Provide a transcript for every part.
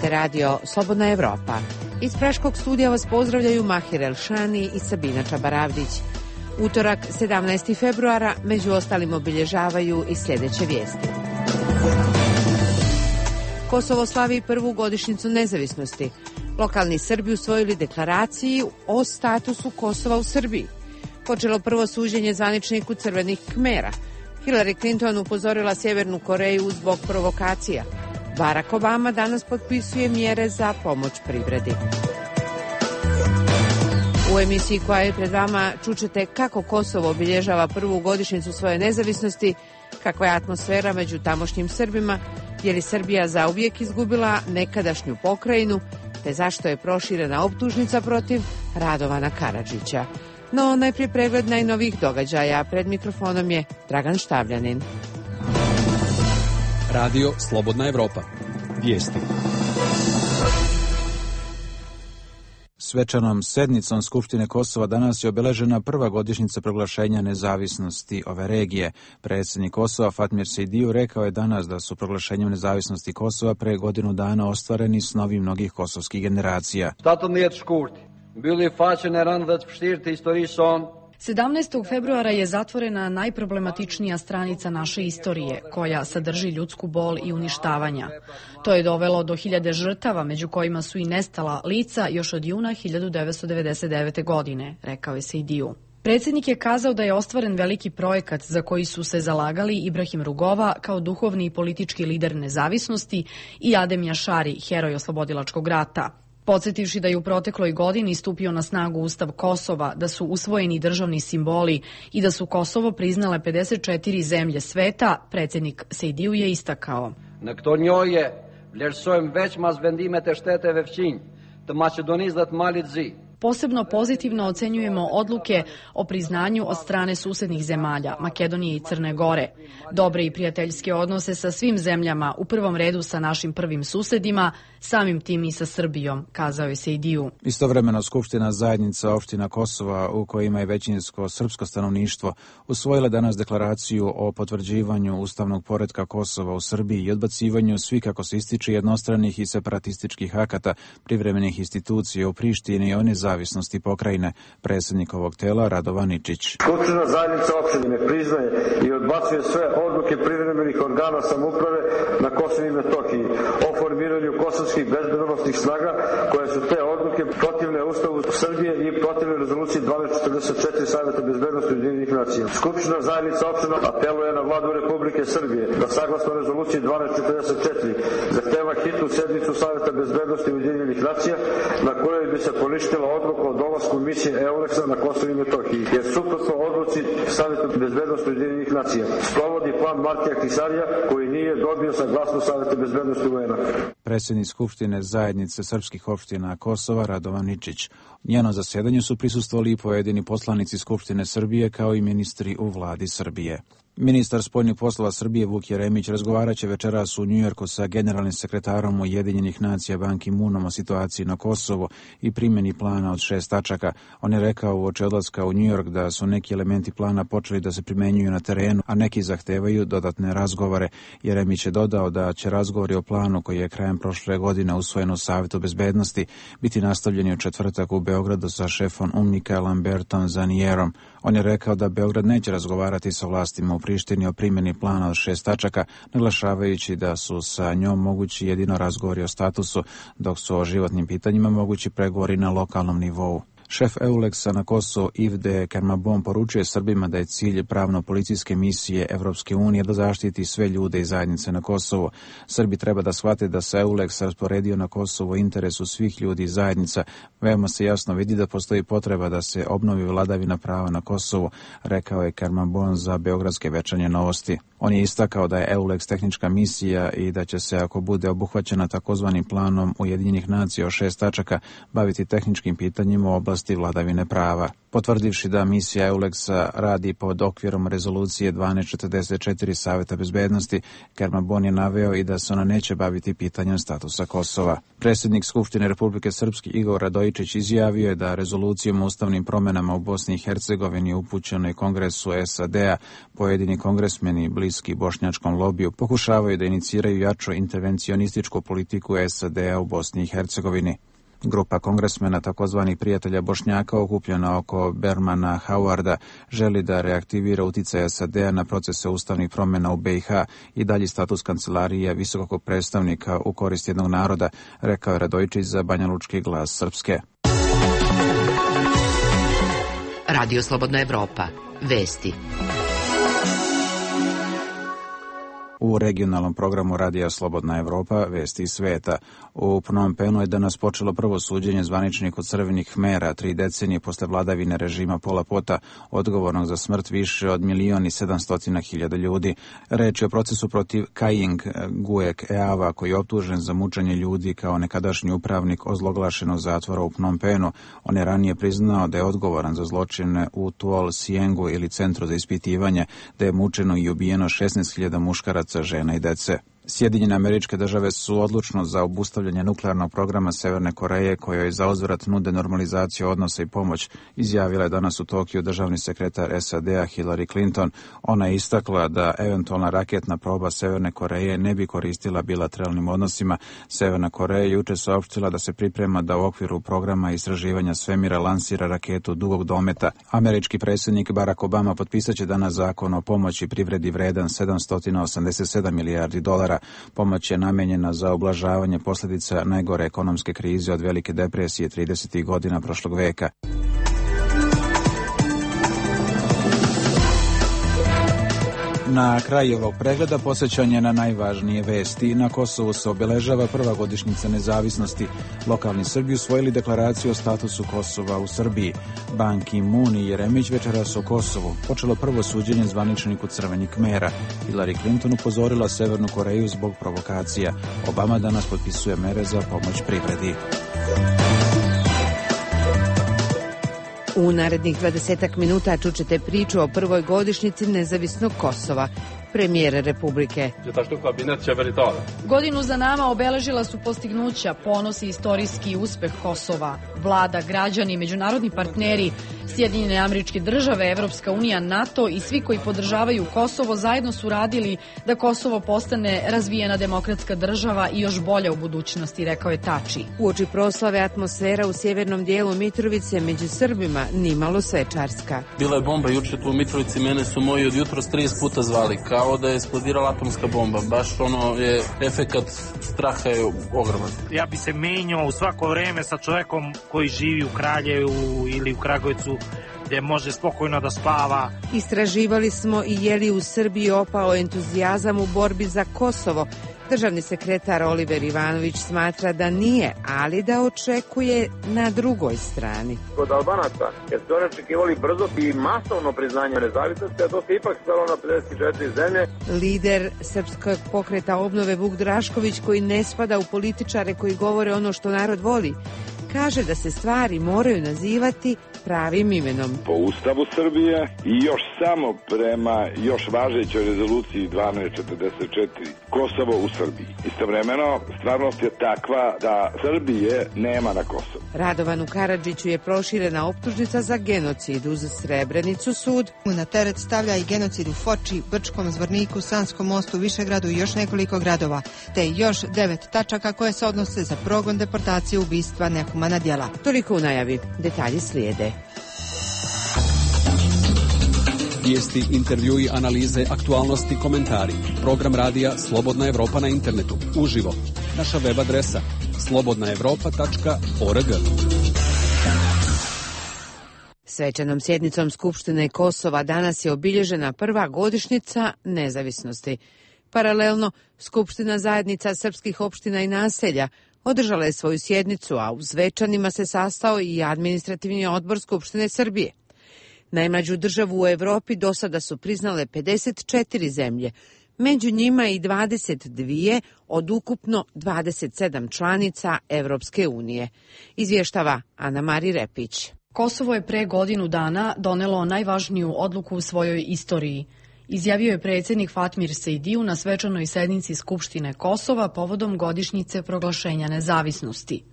Slušate radio Slobodna Evropa. Iz Praškog studija vas pozdravljaju Mahir Elšani i Sabina Čabaravdić. Utorak, 17. februara, među ostalim obilježavaju i sljedeće vijesti. Kosovo slavi prvu godišnjicu nezavisnosti. Lokalni Srbi usvojili deklaraciju o statusu Kosova u Srbiji. Počelo prvo suđenje zvaničniku Crvenih Kmera. Hillary Clinton upozorila Sjevernu Koreju zbog provokacija. Barack Obama danas potpisuje mjere za pomoć privredi. U emisiji koja je pred vama čućete kako Kosovo obilježava prvu godišnjicu svoje nezavisnosti, kakva je atmosfera među tamošnjim Srbima, je li Srbija zauvijek izgubila nekadašnju pokrajinu, te zašto je proširena optužnica protiv Radovana Karadžića. No, najprije pregled najnovijih događaja. Pred mikrofonom je Dragan Štavljanin. Radio Slobodna Evropa. Vijesti. Svečanom sednicom Skupštine Kosova danas je obeležena prva godišnjica proglašenja nezavisnosti ove regije. Predsjednik Kosova Fatmir Sejdiju rekao je danas da su proglašenjem nezavisnosti Kosova pre godinu dana ostvareni snovi mnogih kosovskih generacija. 17. februara je zatvorena najproblematičnija stranica naše istorije, koja sadrži ljudsku bol i uništavanja. To je dovelo do 1000 žrtava, među kojima su i nestala lica još od juna 1999. godine, rekao je Sejdiju. Predsjednik je kazao da je ostvaren veliki projekat za koji su se zalagali Ibrahim Rugova kao duhovni i politički lider nezavisnosti i Adem Jašari, heroj oslobodilačkog rata. Podsjetivši da je u protekloj godini stupio na snagu Ustav Kosova, da su usvojeni državni simboli i da su Kosovo priznale 54 zemlje sveta, predsjednik Sejdiju je istakao. Në këto njohje vlerësojmë veç mas vendimet e shteteve fqinj të Maqedonisë dhe të Malit Zi. Posebno pozitivno ocenjujemo odluke o priznanju od strane susednih zemalja, Makedonije i Crne Gore. Dobre i prijateljske odnose sa svim zemljama, u prvom redu sa našim prvim susedima, samim tim i sa Srbijom, kazao je Sejdiju. Istovremeno Skupština zajednica opština Kosova, u kojima je većinsko srpsko stanovništvo, usvojila danas deklaraciju o potvrđivanju ustavnog poretka Kosova u Srbiji i odbacivanju svih, kako se ističe, jednostranih i separatističkih akata privremenih institucija u Prištini i one zavisnosti pokrajine. Predsjednik ovog tela Radovan Ničić. Skupština zajednica opštine priznaje i odbacuje sve odluke privremenih organa samouprave na Kosovu i Metohiji o formiranju kosovskih bezbednosnih snaga, koje su te odluke protivne Ustavu Srbije i protivne rezoluciji 1244 Saveta bezbednosti Ujedinjenih nacija. Skupština zajednica opština apeluje na vladu Republike Srbije da saglasno rezoluciji 1244 zahteva hitnu sednicu Saveta bezbednosti Ujedinjenih nacija na kojoj bi se poništila odluka o dolasku misije EULEX-a na Kosovu i Metohiji, jer suprotno odluci Saveta bezbednosti Ujedinjenih nacija sprovodi plan Martija Ahtisarija, koji nije dobio saglasnost Saveta bezbednosti UN-a. Predsjednik Skupštine zajednice srpskih opština Kosova Radovan Ničić. Njenom zasjedanju su prisustvovali i pojedini poslanici Skupštine Srbije kao i ministri u vladi Srbije. Ministar spoljnih poslova Srbije Vuk Jeremić razgovaraće večeras u Njujorku sa generalnim sekretarom Ujedinjenih nacija Ban Ki-moonom o situaciji na Kosovu i primjeni plana od 6 tačaka. On je rekao uoči odlaska u Njujork da su neki elementi plana počeli da se primenjuju na terenu, a neki zahtevaju dodatne razgovore. Jeremić je dodao da će razgovori o planu koji je krajem prošle godine usvojen u Savetu bezbednosti biti nastavljeni u četvrtak u Beogradu sa šefom UNMIK-a Lambertom Zanierom. On je rekao da Beograd neće razgovarati sa vlastima u Prištini o primjeni plana od 6 tačaka, naglašavajući da su sa njom mogući jedino razgovori o statusu, dok su o životnim pitanjima mogući pregovori na lokalnom nivou. Šef EULEX-a na Kosovo Ivde Kermabon poručuje Srbima da je cilj pravno-policijske misije Evropske unije da zaštiti sve ljude i zajednice na Kosovu. Srbi treba da shvate da se EULEX rasporedio na Kosovo u interesu svih ljudi i zajednica. Veoma se jasno vidi da postoji potreba da se obnovi vladavina prava na Kosovu, rekao je Kermabon za Beogradske večernje novosti. On je istakao da je EULEX tehnička misija i da će se, ako bude obuhvaćena takozvanim planom Ujedinjenih nacija o 6 tačaka, baviti tehničkim pitanjima u oblasti nezavisnosti i vladavine prava. Potvrdivši da misija EULEX-a radi pod okvirom rezolucije 1244 Saveta bezbednosti, Kerman je naveo i da se ona neće baviti pitanjem statusa Kosova. Predsjednik Skupštine Republike Srpske Igor Radojičić izjavio je da rezolucijom o ustavnim promjenama u Bosni i Hercegovini upućenoj Kongresu SAD-a pojedini kongresmeni bliski bošnjačkom lobiju pokušavaju da iniciraju jaču intervencionističku politiku SAD-a u Bosni i Hercegovini. Grupa kongresmena takozvanih prijatelja Bošnjaka okupljena oko Bermana Howarda želi da reaktivira uticaj SAD-a na procese ustavnih promjena u BiH i dalji status kancelarije visokog predstavnika u korist jednog naroda, rekao je Radojičić za Banjalučki glas Srpske. Radio Slobodna Evropa. Vesti. U regionalnom programu Radija Slobodna Evropa, vesti iz sveta. U Phnom Penhu je danas počelo prvo suđenje zvaničniku Crvenih Khmera, 3 decenije posle vladavine režima Pola Pota, odgovornog za smrt više od 1.700.000 ljudi. Reč je o procesu protiv Kajing Guek Eava, koji je optužen za mučenje ljudi kao nekadašnji upravnik ozloglašenog zatvora u Phnom Penhu. On je ranije priznao da je odgovoran za zločine u Tuol Siengu ili centru za ispitivanje, da je mučeno i ubijeno 16.000 muškaraca, žena i dece. Sjedinjene Američke Države su odlučno za obustavljanje nuklearnog programa Severne Koreje, kojoj zauzvrat nude normalizaciju odnosa i pomoć, izjavila je danas u Tokiju državni sekretar SAD-a Hillary Clinton. Ona je istakla da eventualna raketna proba Severne Koreje ne bi koristila bilateralnim odnosima. Severna Koreja juče saopštila da se priprema da u okviru programa istraživanja svemira lansira raketu dugog dometa. Američki predsjednik Barack Obama potpisat će danas zakon o pomoći privredi vredan $787 milijardi. Pomoć je namenjena za ublažavanje posljedica najgore ekonomske krize od Velike depresije 30. godina prošlog veka. Na kraju ovog pregleda posjećanje na najvažnije vesti. Na Kosovu se obeležava prva godišnjica nezavisnosti. Lokalni Srbi usvojili deklaraciju o statusu Kosova u Srbiji. Ban Ki-moon i Jeremić večeras o Kosovu. Počelo prvo suđenje zvaničniku Crvenih Khmera. Hillary Clinton upozorila Severnu Koreju zbog provokacija. Obama danas potpisuje mere za pomoć privredi. U narednih 20 minuta čućete priču o prvoj godišnjici nezavisnog Kosova. Premijer Republike. Godinu za nama obeležila su postignuća, ponos i istorijski uspeh Kosova. Vlada, građani, međunarodni partneri, Sjedinjene Američke Države, Evropska unija, NATO i svi koji podržavaju Kosovo zajedno su radili da Kosovo postane razvijena demokratska država i još bolja u budućnosti, rekao je Tači. Uoči proslave atmosfera u sjevernom dijelu Mitrovice među Srbima nimalo svečarska. Bila je bomba juče tu u Mitrovici, mene su moji od jutros 30 puta zvali, kao da je eksplodirala atomska bomba. Baš ono je efekat straha je ogroman. Ja bi se menjao u svako vreme sa čovjekom koji živi u Kraljevu ili u Kragujevcu, gdje može spokojno da spava. Istraživali smo i je li u Srbiji opao entuzijazam u borbi za Kosovo. Državni sekretar Oliver Ivanović smatra da nije, ali da očekuje na drugoj strani. Kod Albanaca, jer su oni očekivali brzo i masovno priznanje nezavisnosti, a to se ipak stalo na 54 zemlje. Lider Srpskog pokreta obnove Vuk Drašković, koji ne spada u političare koji govore ono što narod voli, kaže da se stvari moraju nazivati pravim imenom. Po Ustavu Srbije i još samo prema još važećoj rezoluciji 1244 Kosovo u Srbiji. Istovremeno, stvarnost je takva da Srbije nema na Kosovu. Radovanu Karadžiću je proširena optužnica za genocid. Uz Srebrenicu sud na teret stavlja i genocid u Foči, Brčkom, Zvorniku, Sanskom mostu, Višegradu i još nekoliko gradova, te još 9 tačaka koje se odnose za progon, deportacije, ubistva, nehumana djela. Toliko u najavi. Detalji slijede. Vijesti, intervjui, analize, aktualnosti, komentari. Program radija Slobodna Evropa na internetu. Uživo. Naša web adresa slobodnaevropa.org. Svečanom sjednicom Skupštine Kosova danas je obilježena prva godišnjica nezavisnosti. Paralelno, Skupština zajednica srpskih opština i naselja održala je svoju sjednicu, a u Zvečanima se sastao i administrativni odbor Skupštine Srbije. Najmlađu državu u Evropi do sada su priznale 54 zemlje, među njima i 22 od ukupno 27 članica Evropske unije. Izvještava Ana Mari Repić. Kosovo je pre godinu dana donelo najvažniju odluku u svojoj istoriji. Izjavio je predsjednik Fatmir Sejdiju na svečanoj sednici Skupštine Kosova povodom godišnjice proglašenja nezavisnosti.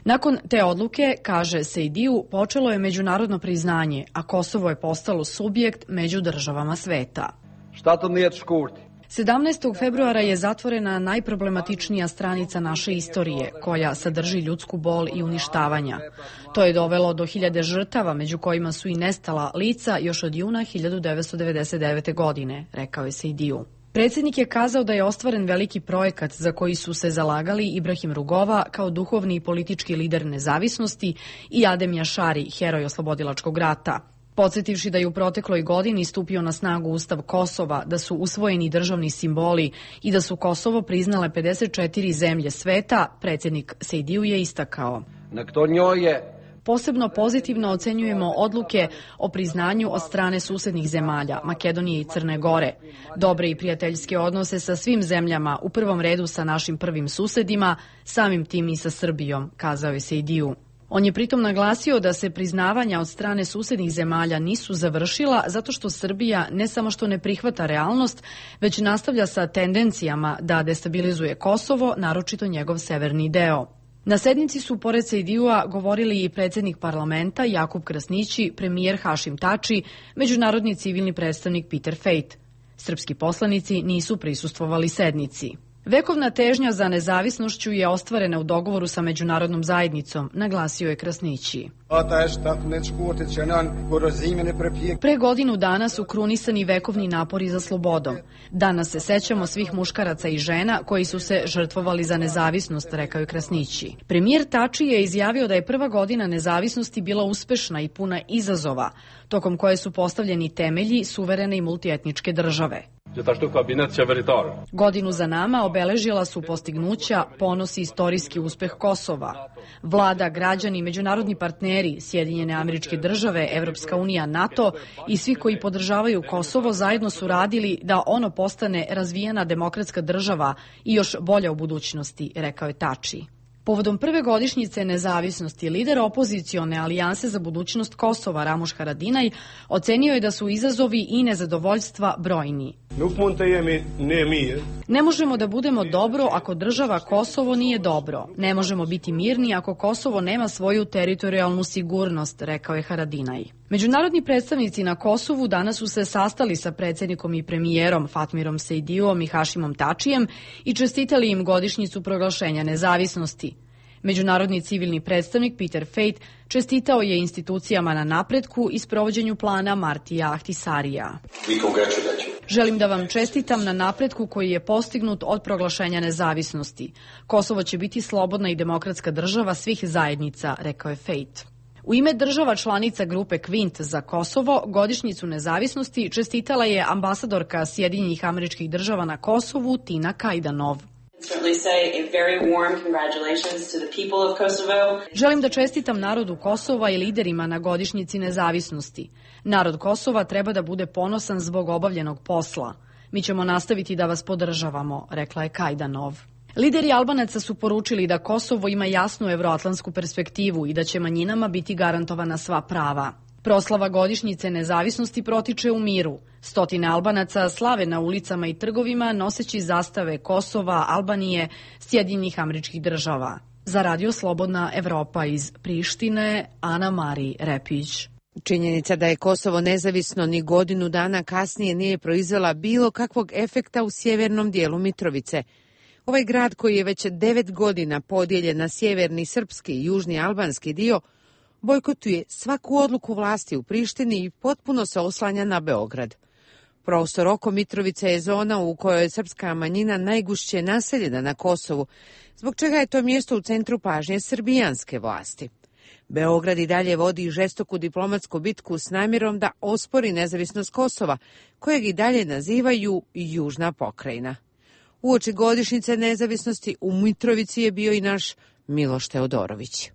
Nakon te odluke, kaže Sejdiju, počelo je međunarodno priznanje, a Kosovo je postalo subjekt među državama sveta. 17. februara je zatvorena najproblematičnija stranica naše istorije, koja sadrži ljudsku bol i uništavanja. To je dovelo do 1000 žrtava, među kojima su i nestala lica još od juna 1999. godine, rekao je Sejdiju. Predsjednik je kazao da je ostvaren veliki projekat za koji su se zalagali Ibrahim Rugova kao duhovni i politički lider nezavisnosti i Adem Jašari, heroj oslobodilačkog rata. Podsjetivši da je u protekloj godini stupio na snagu Ustav Kosova, da su usvojeni državni simboli i da su Kosovo priznale 54 zemlje sveta, predsjednik Sejdiju je istakao. Posebno pozitivno ocenjujemo odluke o priznanju od strane susednih zemalja, Makedonije i Crne Gore. Dobre i prijateljske odnose sa svim zemljama, u prvom redu sa našim prvim susedima, samim tim i sa Srbijom, kazao je Sejdiju. On je pritom naglasio da se priznavanja od strane susednih zemalja nisu završila zato što Srbija ne samo što ne prihvata realnost, već nastavlja sa tendencijama da destabilizuje Kosovo, naročito njegov severni deo. Na sednici su pored Sejdijua govorili i predsjednik parlamenta Jakub Krasnići, premijer Hašim Tači, međunarodni civilni predstavnik Peter Fejt. Srpski poslanici nisu prisustvovali sednici. Vekovna težnja za nezavisnošću je ostvarena u dogovoru sa međunarodnom zajednicom, naglasio je Krasnići. Pre godinu dana su krunisani vekovni napori za slobodom. Danas se sećamo svih muškaraca i žena koji su se žrtvovali za nezavisnost, rekao je Krasnići. Premijer Tači je izjavio da je prva godina nezavisnosti bila uspešna i puna izazova, tokom koje su postavljeni temelji suverene i multietničke države. Godinu za nama obeležila su postignuća, ponos i istorijski uspeh Kosova. Vlada, građani, međunarodni partneri, Sjedinjene Američke Države, Evropska unija, NATO i svi koji podržavaju Kosovo zajedno su radili da ono postane razvijena demokratska država i još bolja u budućnosti, rekao je Tači. Povodom prve godišnjice nezavisnosti, lider opozicione alijanse za budućnost Kosova, Ramuš Haradinaj, ocenio je da su izazovi i nezadovoljstva brojni. Ne možemo da budemo dobro ako država Kosovo nije dobro. Ne možemo biti mirni ako Kosovo nema svoju teritorijalnu sigurnost, rekao je Haradinaj. Međunarodni predstavnici na Kosovu danas su se sastali sa predsjednikom i premijerom Fatmirom Sejdijom i Hašimom Tačijem i čestitali im godišnjicu proglašenja nezavisnosti. Međunarodni civilni predstavnik Peter Fejt čestitao je institucijama na napretku i sprovođenju plana Martija Ahtisarija. Želim da vam čestitam na napretku koji je postignut od proglašenja nezavisnosti. Kosovo će biti slobodna i demokratska država svih zajednica, rekao je Fejt. U ime država članica grupe Kvint za Kosovo godišnjicu nezavisnosti čestitala je ambasadorka Sjedinjenih Američkih Država na Kosovu Tina Kajdanov. Želim da čestitam narodu Kosova i liderima na godišnjici nezavisnosti. Narod Kosova treba da bude ponosan zbog obavljenog posla. Mi ćemo nastaviti da vas podržavamo, rekla je Kajdanov. Lideri Albanaca su poručili da Kosovo ima jasnu evroatlantsku perspektivu i da će manjinama biti garantovana sva prava. Proslava godišnjice nezavisnosti protiče u miru. Stotine Albanaca slave na ulicama i trgovima noseći zastave Kosova, Albanije, Sjedinjenih Američkih Država. Za Radio Slobodna Evropa iz Prištine, Ana Mari Repić. Činjenica da je Kosovo nezavisno ni godinu dana kasnije nije proizvela bilo kakvog efekta u sjevernom dijelu Mitrovice. Ovaj grad koji je već 9 godina podijeljen na sjeverni srpski i južni albanski dio, bojkotuje svaku odluku vlasti u Prištini i potpuno se oslanja na Beograd. Prostor oko Mitrovice je zona u kojoj je srpska manjina najgušće naseljena na Kosovu, zbog čega je to mjesto u centru pažnje srbijanske vlasti. Beograd i dalje vodi žestoku diplomatsku bitku s namjerom da ospori nezavisnost Kosova, kojeg i dalje nazivaju južna pokrajina. Uoči godišnjice nezavisnosti u Mitrovici je bio i naš Miloš Teodorović.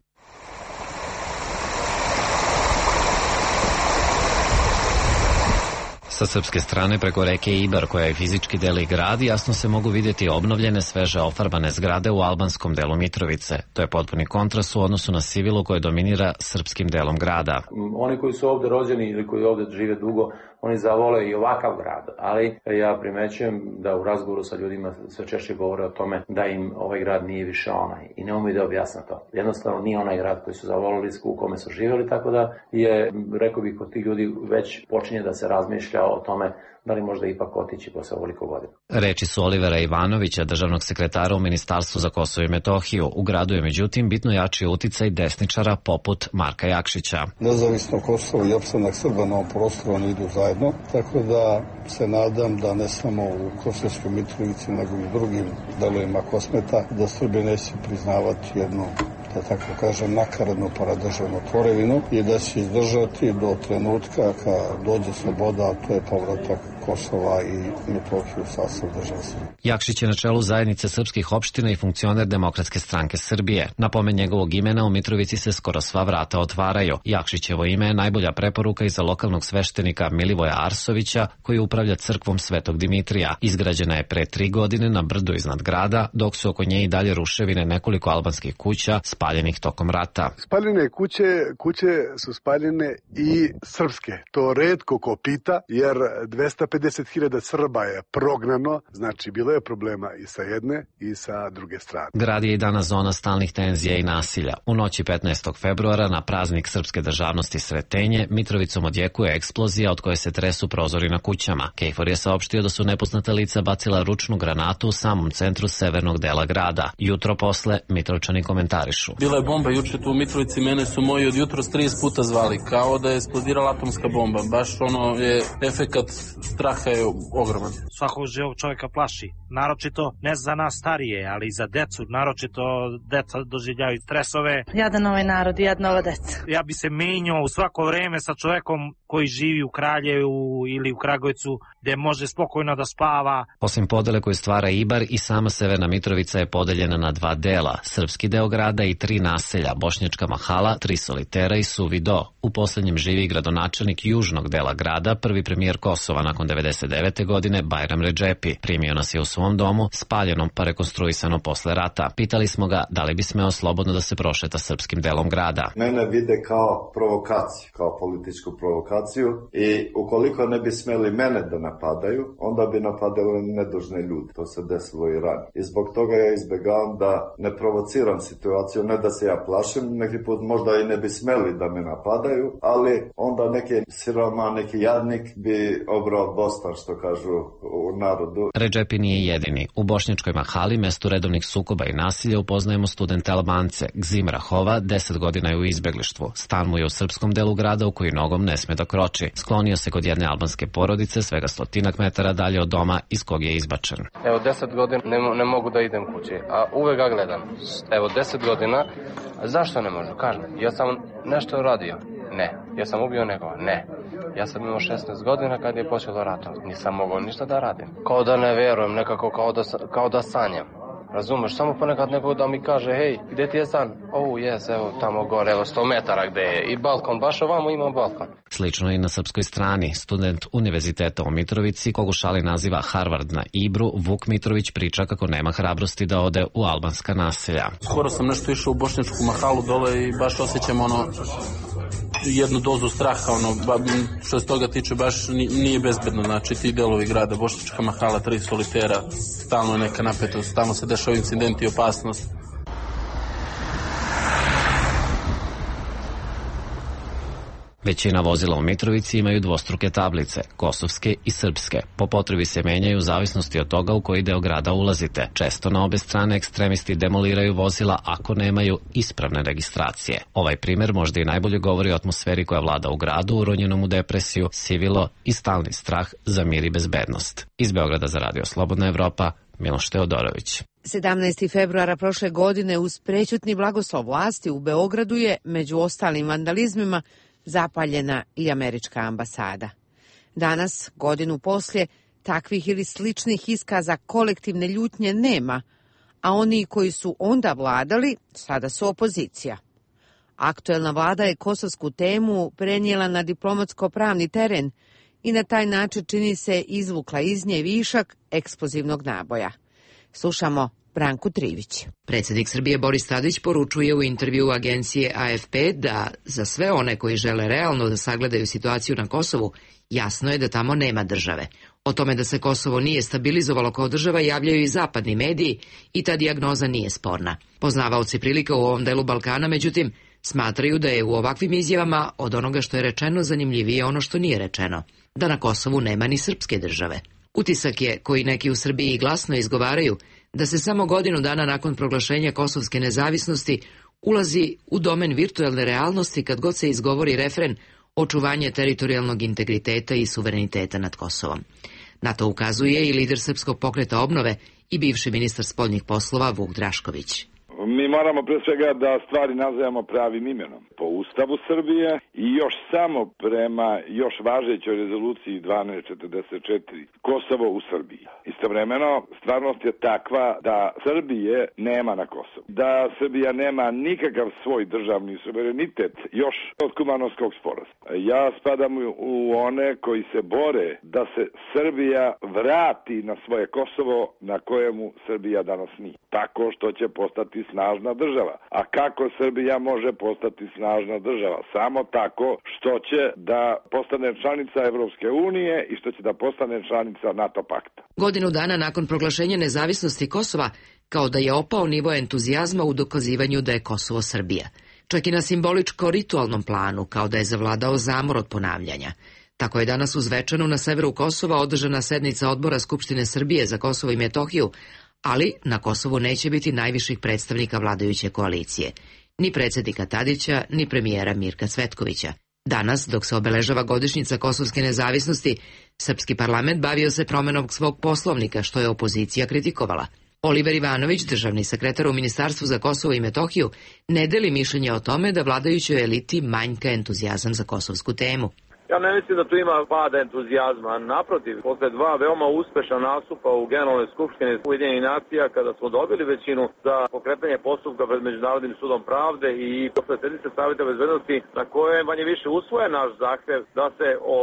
Sa srpske strane preko reke Ibar, koja je fizički deli grad, jasno se mogu vidjeti obnovljene, sveže ofarbane zgrade u albanskom delu Mitrovice. To je potpuni kontrast u odnosu na Sivilu koje dominira srpskim delom grada. Oni koji su ovde rođeni ili koji ovde žive dugo, oni zavole i ovakav grad, ali ja primećujem da u razgovoru sa ljudima sve češće govore o tome da im ovaj grad nije više onaj i ne umiju da objasne to. Jednostavno nije onaj grad koji su zavolili, u kome su živjeli, tako da je, rekao bih, kod tih ljudi već počinje da se razmišlja o tome da li možda ipak otići posle ovoliko godina. Reči su Olivera Ivanovića, državnog sekretara u Ministarstvu za Kosovo i Metohiju. U gradu je međutim bitno jači uticaj desničara poput Marka Jakšića. Nezavisno Kosovo i opstanak Srba na ovom prostoru oni idu zajedno, tako da se nadam da ne samo u Kosovskoj Mitrovici, nego i u drugim delovima Kosmeta, da Srbi neće priznavati jednu, da tako kažem, nakaradnu paradržavnu tvorevinu i da će izdržati do trenutka kad dođe sloboda, a to je povratak Kosova i Metohiju u sastav države Srbije. Jakšić je na čelu zajednice srpskih opština i funkcioner Demokratske stranke Srbije. Na pomen njegovog imena u Mitrovici se skoro sva vrata otvaraju. Jakšićevo ime je najbolja preporuka i za lokalnog sveštenika Milivoja Arsovića, koji upravlja crkvom Svetog Dimitrija. Izgrađena je pre 3 godine na brdu iznad grada, dok su oko nje i dalje ruševine nekoliko albanskih kuća spaljenih tokom rata. Spaljene kuće su spaljene i srpske. To retko ko pita, jer 250.000 Srba je prognano, znači bilo je problema i sa jedne i sa druge strane. Grad je i danas zona stalnih tenzija i nasilja. U noći 15. februara na praznik srpske državnosti Sretenje Mitrovicom odjekuje eksplozija od koje se tresu prozori na kućama. KFOR je saopštio da su nepoznata lica bacila ručnu granatu u samom centru severnog dela grada. Jutro posle Mitrovčani komentarišu. Bila je bomba juče tu u Mitrovici, mene su moji od jutros 30 puta zvali, kao da je eksplodirala atomska bomba. Baš ono je efekat straha je ogroman. Svakog živog čovjeka plaši, naročito ne za nas starije, ali i za decu, naročito deca doživljaju stresove. Jadan ovaj narod i jadna ova deca. Ja bi se menjao u svako vreme sa čovjekom koji živi u Kraljevu ili u Kragujevcu, gde može spokojno da spava. Osim podele koju stvara Ibar, i sama Severna Mitrovica je podeljena na 2 dela, srpski deo grada i 3 naselja, Bošnjačka mahala, 3 solitera i Suvi do. U poslednjem živi gradonačelnik južnog dela grada, prvi premijer Kosova nakon 99. godine, Bajram Redžepi. Primio nas je u svom domu, spaljenom pa rekonstruisano posle rata. Pitali smo ga da li bi smeo slobodno da se prošeta srpskim delom grada. Mene vide kao provokaciju, kao političku provokaciju i ukoliko ne bi smeli mene da napadaju, onda bi napadali nedužne ljudi. To se desilo i ranije. I zbog toga ja izbegavam da ne provociram situaciju, ne da se ja plašim, neki put možda i ne bi smeli da me napadaju, ali onda neki siroma, neki jadnik bi obrao bostan, što kažu u narodu. Redžepi nije jedini. U Bošnjačkoj mahali, mestu redovnih sukoba i nasilja, upoznajemo studente Albance. Gzim Rahova 10 godina je u izbeglištvu. Stan mu je u srpskom delu grada u koji nogom ne sme da kroči. Sklonio se kod jedne albanske porodice, svega 100 metara dalje od doma iz kog je izbačen. Evo 10 godina ne mogu da idem kući, a uvek ga gledam. Evo 10 godina, zašto ne možu? Kažem, ja sam nešto radio. Ne. Ja sam ubio nekoga? Ne. Ja sam imao 16 godina kad je počelo ratom. Nisam mogao ništa da radim. Kao da ne verujem, nekako kao da sanjam. Razumeš, samo ponekad neko da mi kaže, hej, gde ti je stan? Evo tamo gore, evo 100 metara gde je. I balkon, baš ovamo ima balkon. Slično i na srpskoj strani. Student Univerziteta u Mitrovici, kogu šali naziva Harvard na Ibru, Vuk Mitrović priča kako nema hrabrosti da ode u albanska naselja. Skoro sam nešto išao u Bošnjačku mahalu dole i baš osjećam jednu dozu straha, što se toga tiče baš nije bezbedno, znači ti delovi grada, Bošnjačka mahala, 3 solitera, stalno je neka napetost, stalno se dešava incidenti i opasnost. Većina vozila u Mitrovici imaju dvostruke tablice, kosovske i srpske. Po potrebi se menjaju u zavisnosti od toga u koji deo grada ulazite. Često na obe strane ekstremisti demoliraju vozila ako nemaju ispravne registracije. Ovaj primer možda i najbolje govori o atmosferi koja vlada u gradu, uronjenom u depresiju, sivilo i stalni strah za mir i bezbednost. Iz Beograda za Radio Slobodna Evropa, Miloš Teodorović. 17. februara prošle godine uz prećutni blagoslov vlasti u Beogradu je, među ostalim vandalizmima, zapaljena i američka ambasada. Danas, godinu poslije, takvih ili sličnih iskaza kolektivne ljutnje nema, a oni koji su onda vladali, sada su opozicija. Aktuelna vlada je kosovsku temu prenijela na diplomatsko-pravni teren i na taj način čini se izvukla iz nje višak eksplozivnog naboja. Slušamo Branku Trivić. Predsjednik Srbije Boris Tadić poručuje u intervjuu agencije AFP da za sve one koji žele realno da sagledaju situaciju na Kosovu, jasno je da tamo nema države. O tome da se Kosovo nije stabilizovalo kao država javljaju i zapadni mediji i ta dijagnoza nije sporna. Poznavaoci prilika u ovom delu Balkana, međutim, smatraju da je u ovakvim izjavama od onoga što je rečeno zanimljivije ono što nije rečeno, da na Kosovu nema ni srpske države. Utisak je, koji neki u Srbiji glasno izgovaraju, da se samo godinu dana nakon proglašenja kosovske nezavisnosti ulazi u domen virtualne realnosti kad god se izgovori refren očuvanje teritorijalnog integriteta i suvereniteta nad Kosovom. Na to ukazuje i lider Srpskog pokreta obnove i bivši ministar spoljnih poslova Vuk Drašković. Mi moramo pre svega da stvari nazivamo pravim imenom. Po Ustavu Srbije i još samo prema još važećoj rezoluciji 1244 Kosovo u Srbiji. Istovremeno, stvarnost je takva da Srbije nema na Kosovu. Da Srbija nema nikakav svoj državni suverenitet još od Kumanovskog sporazuma. Ja spadam u one koji se bore da se Srbija vrati na svoje Kosovo na kojemu Srbija danas nije. Tako što će postati snažna država. A kako Srbija može postati snažna država? Samo tako što će da postane članica Evropske unije i što će da postane članica NATO pakta. Godinu dana nakon proglašenja nezavisnosti Kosova, kao da je opao nivo entuzijazma u dokazivanju da je Kosovo Srbija. Čak i na simboličko-ritualnom planu, kao da je zavladao zamor od ponavljanja. Tako je danas u Zvečanu na severu Kosova održana sednica odbora Skupštine Srbije za Kosovo i Metohiju, ali na Kosovu neće biti najviših predstavnika vladajuće koalicije, ni predsjednika Tadića, ni premijera Mirka Cvetkovića. Danas, dok se obeležava godišnjica kosovske nezavisnosti, srpski parlament bavio se promenom svog poslovnika, što je opozicija kritikovala. Oliver Ivanović, državni sekretar u Ministarstvu za Kosovo i Metohiju, ne deli mišljenje o tome da vladajućoj eliti manjka entuzijazam za kosovsku temu. Ja ne mislim da tu ima pada entuzijazma. Naprotiv, posle dva veoma uspešna nastupa u Generalnoj skupštini Ujedinjenih nacija, kada smo dobili većinu za pokretanje postupka pred Međunarodnim sudom pravde i posle sednice Saveta bezbednosti, na koje manje više usvoje naš zahtev da se o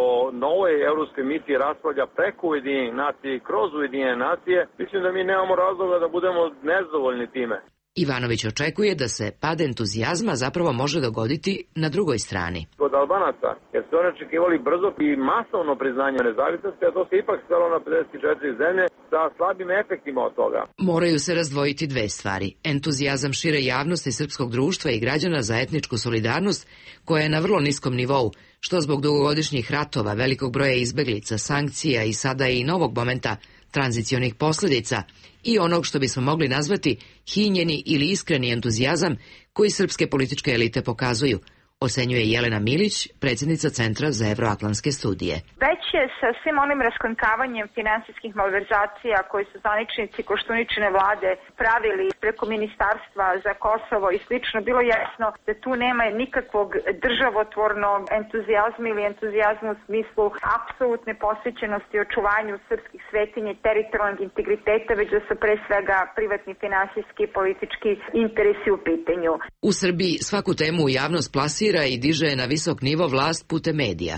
novoj evropskoj misiji raspravlja preko Ujedinjenih nacija i kroz Ujedinjene nacije, mislim da mi nemamo razloga da budemo nezadovoljni time. Ivanović očekuje da se pad entuzijazma zapravo može dogoditi na drugoj strani. Kod Albanaca, jer su oni očekivali brzo i masovno priznanje nezavisnosti, a to se ipak svelo na 54 zemlje sa slabim efektima od toga. Moraju se razdvojiti dve stvari. Entuzijazam šire javnosti srpskog društva i građana za etničku solidarnost, koja je na vrlo niskom nivou, što zbog dugogodišnjih ratova, velikog broja izbeglica, sankcija i sada i novog momenta tranzicionih posljedica i onog što bismo mogli nazvati hinjeni ili iskreni entuzijazam koji srpske političke elite pokazuju, ocenjuje Jelena Milić, predsjednica Centra za evroatlantske studije. Već je sa svim onim raskonkavanjem finansijskih malverzacija koje su zvaničnici Koštuničine vlade pravili preko Ministarstva za Kosovo i slično, bilo jasno da tu nema nikakvog državotvornog entuzijazma ili entuzijazma u smislu apsolutne posvećenosti očuvanju srpskih svetinja i teritorijalnog integriteta, već da su pre svega privatni finansijski i politički interesi u pitanju. U Srbiji svaku temu u javnost plasira i diže na visok nivo vlast putem medija.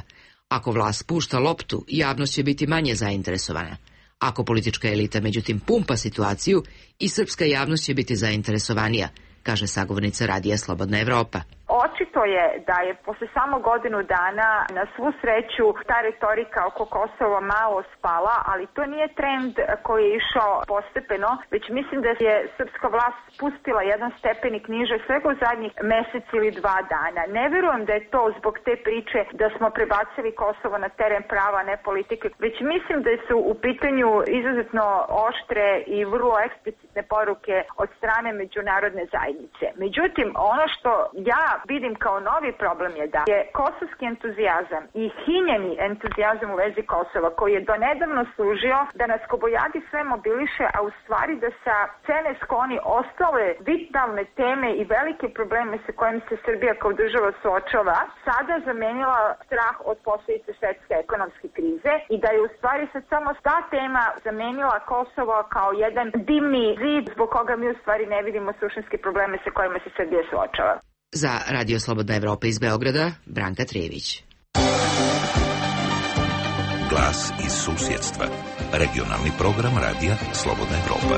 Ako vlast pušta loptu, javnost će biti manje zainteresovana. Ako politička elita međutim pumpa situaciju, i srpska javnost će biti zainteresovanija, kaže sagovornica Radija Slobodna Evropa. Očito je da je posle samo godinu dana na svu sreću ta retorika oko Kosova malo spala, ali to nije trend koji je išao postepeno, već mislim da je srpska vlast spustila jedan stepenik niže svega u zadnjih mesec ili 2 dana. Ne verujem da je to zbog te priče da smo prebacili Kosovo na teren prava, ne politike, već mislim da su u pitanju izuzetno oštre i vrlo eksplicitne poruke od strane međunarodne zajednice. Međutim, ono što ja vidim kao novi problem je da je kosovski entuzijazam i hinjeni entuzijazam u vezi Kosova, koji je donedavno služio da nas kobojadi sve mobiliše, a u stvari da sa scene skloni ostale vitalne teme i velike probleme sa kojim se Srbija kao država suočava, sada zamenila strah od posljedice svetske ekonomske krize i da je u stvari sad samo ta tema zamenila Kosovo kao jedan dimni zid zbog koga mi u stvari ne vidimo suštinske probleme sa kojima se Srbija suočava. Za Radio Slobodna Evropa iz Beograda, Branka Trivić. Glas iz susjedstva. Regionalni program radija Slobodna Evropa.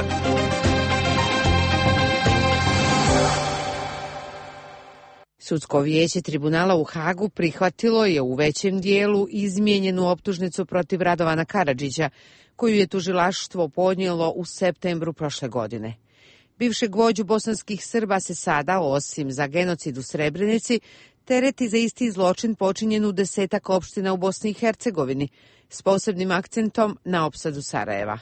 Sudsko vijeće tribunala u Hagu prihvatilo je u većem dijelu izmijenjenu optužnicu protiv Radovana Karadžića, koju je tužilaštvo podnijelo u septembru prošle godine. Bivšeg vođu bosanskih Srba se sada, osim za genocid u Srebrenici, tereti za isti zločin počinjen u 10 opština u Bosni i Hercegovini, s posebnim akcentom na opsadu Sarajeva.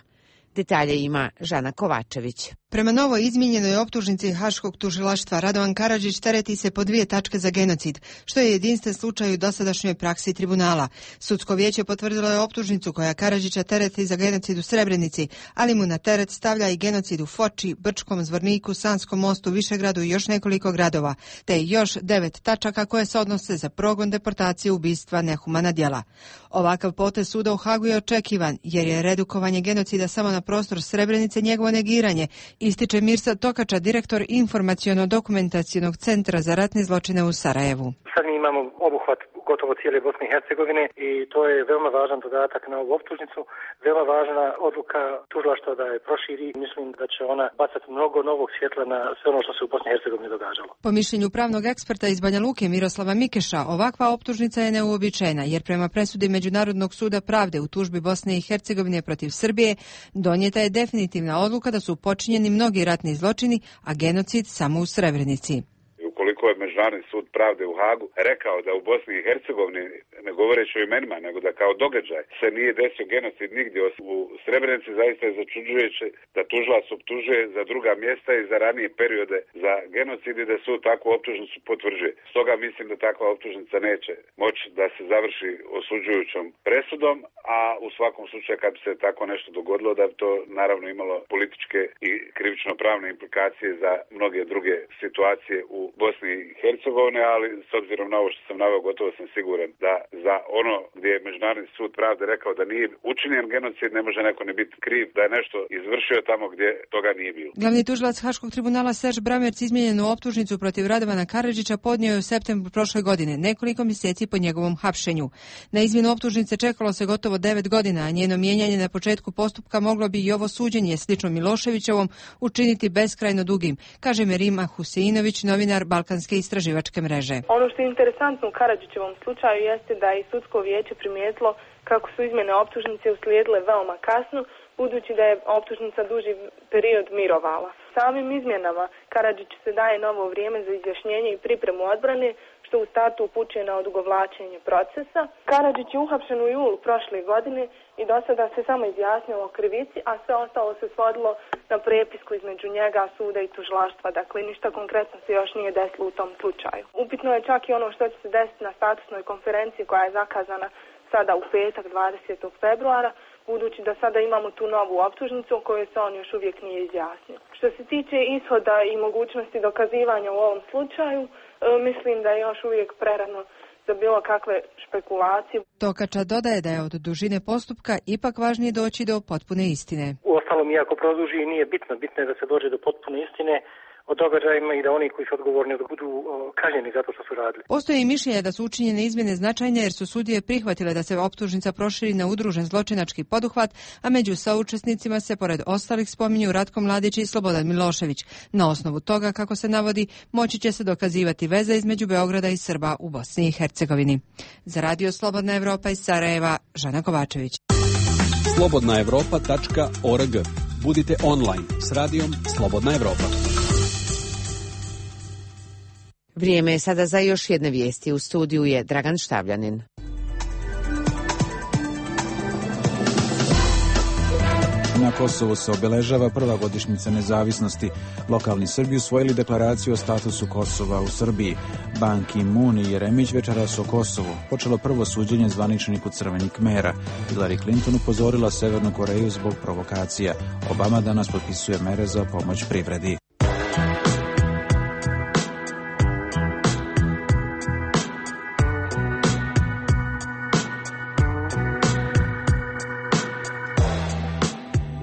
Detalje ima Žana Kovačević. Prema novo izmijenjenoj optužnici Haškog tužilaštva Radovan Karadžić tereti se po 2 tačke za genocid, što je jedinstven slučaj u dosadašnjoj praksi tribunala. Sudsko vijeće potvrdilo je optužnicu koja Karadžića tereti za genocid u Srebrenici, ali mu na teret stavlja i genocid u Foči, Brčkom, Zvorniku, Sanskom Mostu, Višegradu i još nekoliko gradova, te još 9 tačaka koje se odnose za progon, deportaciju, ubistva, nehumana djela. Ovakav potez suda u Hagu je očekivan, jer je redukovanje genocida samo na prostor Srebrenice njegovo negiranje, ističe Mirsa Tokača, direktor Informaciono-dokumentacionog centra za ratne zločine u Sarajevu. Sad mi imamo obuhvat gotovo cijele Bosne i Hercegovine i to je veoma važan dodatak na ovu optužnicu, veoma važna odluka tužilaštva da je proširi. Mislim da će ona bacati mnogo novog svjetla na sve ono što se u Bosni i Hercegovini događalo. Po mišljenju pravnog eksperta iz Banja Luke Miroslava Mikeša, ovakva optužnica je neuobičajena, jer prema presudi Međunarodnog suda pravde u tužbi Bosne i Hercegovine protiv Srbije donijeta je definitivna odluka da su počinjeni mnogi ratni zločini, a genocid samo u Srebrenici. Ukoliko je Međunarodni sud pravde u Hagu rekao da u Bosni i Hercegovini, ne govoreći o imenima, nego da kao događaj se nije desio genocid nigdje u Srebrenici, zaista je začuđujuće da tužilac optužuje za druga mjesta i za ranije periode za genocid i da sud takvu optužnicu potvrđuje. Stoga mislim da takva optužnica neće moći da se završi osuđujućom presudom, a u svakom slučaju kad bi se tako nešto dogodilo da bi to naravno imalo političke i krivično-pravne implikacije za mnoge druge situacije u Bosni i Hercegovine, ali s obzirom na ovo što sam naveo, gotovo sam siguran da za ono gdje je Međunarodni sud pravde rekao da nije učinjen genocid, ne može neko ne biti kriv da je nešto izvršio tamo gdje toga nije bilo. Glavni tužilac Haškog tribunala Serž Bramerc izmijenjenu optužnicu protiv Radovana Karadžića podnio je u septembru prošle godine, nekoliko mjeseci po njegovom hapšenju. Na izmjenu optužnice čekalo se gotovo 9 godina, a njeno mijenjanje na početku postupka moglo bi i ovo suđenje, slično Miloševićevom, učiniti beskrajno dugim, kaže Merima Huseinović, novinar Balkanske istraživačke mreže. Ono što je interesantno u Karadžićevom slučaju jeste da je sudsko vijeće primijetilo kako su izmjene optužnice uslijedile veoma kasno, budući da je optužnica duži period mirovala. Samim izmjenama Karadžiću se daje novo vrijeme za izjašnjenje i pripremu odbrane, što u startu upućuje na odugovlačenje procesa. Karadžić je uhapšen u julu prošle godine i do sada se samo izjasnio o krivici, a sve ostalo se svodilo na prepisku između njega, suda i tužilaštva. Dakle, ništa konkretno se još nije desilo u tom slučaju. Upitno je čak i ono što će se desiti na statusnoj konferenciji koja je zakazana sada u petak 20. februara, budući da sada imamo tu novu optužnicu o kojoj se on još uvijek nije izjasnio. Što se tiče ishoda i mogućnosti dokazivanja u ovom slučaju, mislim da je još uvijek prerano za bilo kakve špekulacije. Tokača dodaje da je od dužine postupka ipak važnije doći do potpune istine. Uostalom, iako produži, nije bitno. Bitno je da se dođe do potpune istine o događajima i da oni koji su odgovorni budu kažnjeni zato što su radili. Postoje i mišljenje da su učinjene izmjene značajne jer su sudije prihvatile da se optužnica proširi na udružen zločinački poduhvat, a među saučesnicima se pored ostalih spominju Ratko Mladić i Slobodan Milošević. Na osnovu toga, kako se navodi, moći će se dokazivati veza između Beograda i Srba u Bosni i Hercegovini. Za Radio Slobodna Evropa iz Sarajeva, Žana Kovačević. slobodnaevropa.org. Budite online s radijom Slobodna Evropa. Vrijeme je sada za još jedne vijesti. U studiju je Dragan Štavljanin. Na Kosovu se obeležava prva godišnjica nezavisnosti. Lokalni Srbi usvojili deklaraciju o statusu Kosova u Srbiji. Ban Ki-moon i Jeremić večeras o Kosovu. Počelo prvo suđenje zvaničniku Crvenih Kmera. Hillary Clinton upozorila Severnu Koreju zbog provokacija. Obama danas potpisuje mere za pomoć privredi.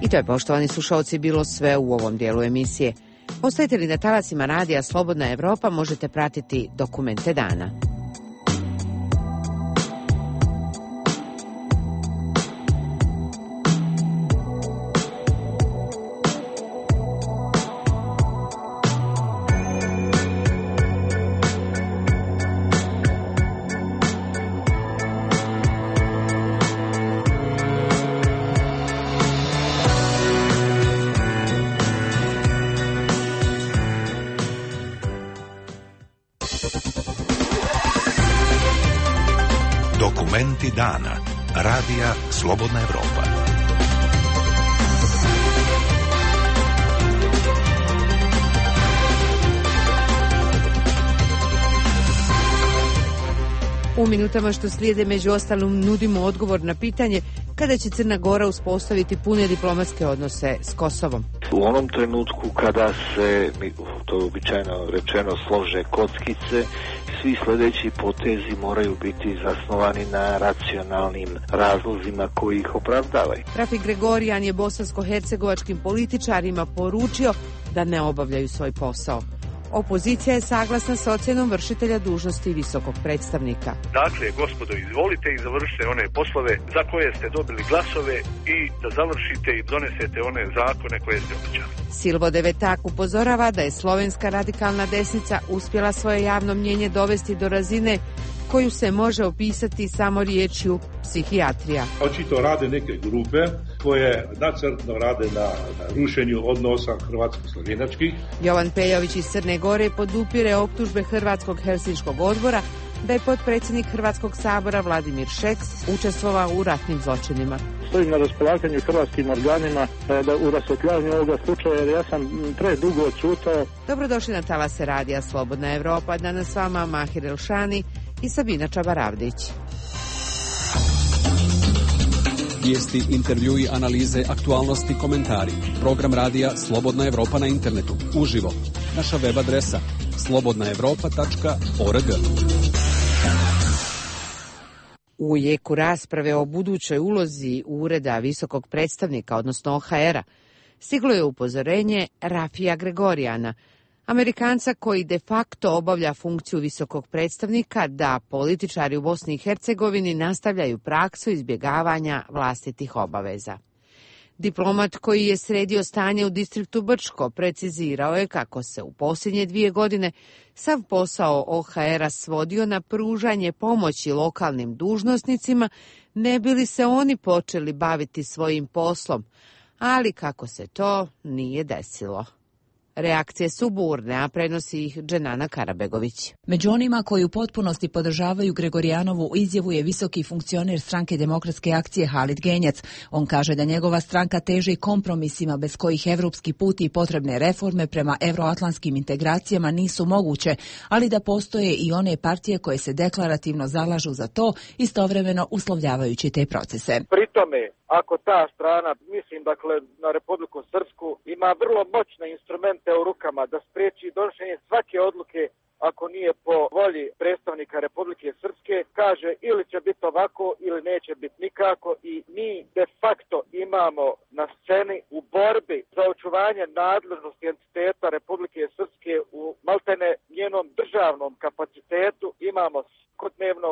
I to je, poštovani slušalci, bilo sve u ovom dijelu emisije. Ostajete li na talasima radija Slobodna Evropa, možete pratiti dokumente dana. Dokumenti dana. Radija Slobodna Evropa. U minutama što slijede među ostalim nudimo odgovor na pitanje kada će Crna Gora uspostaviti pune diplomatske odnose s Kosovom. U onom trenutku kada se, to je običajno rečeno, slože kockice, svi sljedeći potezi moraju biti zasnovani na racionalnim razlozima koji ih opravdavaju. Rafi Gregorijan je bosansko-hercegovačkim političarima poručio da ne obavljaju svoj posao. Opozicija je saglasna s ocjenom vršitelja dužnosti visokog predstavnika. Dakle, gospodo, izvolite i završite one poslove za koje ste dobili glasove i da završite i donesete one zakone koje ste obećali. Silvo Devetak upozorava da je slovenska radikalna desnica uspjela svoje javno mnjenje dovesti do razine koju se može opisati samo riječju psihijatrija. Očito rade neke grupe koje nacrtno rade na rušenju odnosa hrvatsko-slovenačkih. Jovan Pejović iz Crne Gore podupire optužbe Hrvatskog helsinškog odbora da je potpredsjednik Hrvatskog sabora Vladimir Šeks učestvovao u ratnim zločinima. Stojim na raspolaganju hrvatskim organima da u rasvetljavanju ovoga slučaja, jer ja sam predugo odšutao. Dobrodošli na talase radija Slobodna Evropa. Danas s vama Mahir Elšani i Sabina Čabaravdić. Vijesti, intervjui, analize, aktualnosti, komentari. Program radija Slobodna Evropa na internetu. Uživo. Naša web adresa slobodnaevropa.org. U jeku rasprave o budućoj ulozi Ureda visokog predstavnika, odnosno OHR-a, stiglo je upozorenje Rafija Gregorijana, Amerikanca koji de facto obavlja funkciju visokog predstavnika, da političari u Bosni i Hercegovini nastavljaju praksu izbjegavanja vlastitih obaveza. Diplomat koji je sredio stanje u distriktu Brčko precizirao je kako se u posljednje 2 godine sav posao OHR-a svodio na pružanje pomoći lokalnim dužnosnicima, ne bi li se oni počeli baviti svojim poslom, ali kako se to nije desilo. Reakcije su burne, a prenosi ih Dženana Karabegović. Među onima koji u potpunosti podržavaju Gregorijanovu izjavu je visoki funkcioner Stranke demokratske akcije Halid Genjac. On kaže da njegova stranka teži kompromisima bez kojih evropski put i potrebne reforme prema evroatlantskim integracijama nisu moguće, ali da postoje i one partije koje se deklarativno zalažu za to, istovremeno uslovljavajući te procese. Pri tome, ako ta strana, mislim dakle na Republiku Srpsku, ima vrlo moćne instrumente u rukama da spriječi donošenje svake odluke ako nije po volji predstavnika Republike Srpske, kaže ili će biti ovako ili neće biti nikako, i mi de facto imamo na sceni u borbi za očuvanje nadležnosti entiteta Republike Srpske u maltene njenom državnom kapacitetu, imamo svakodnevno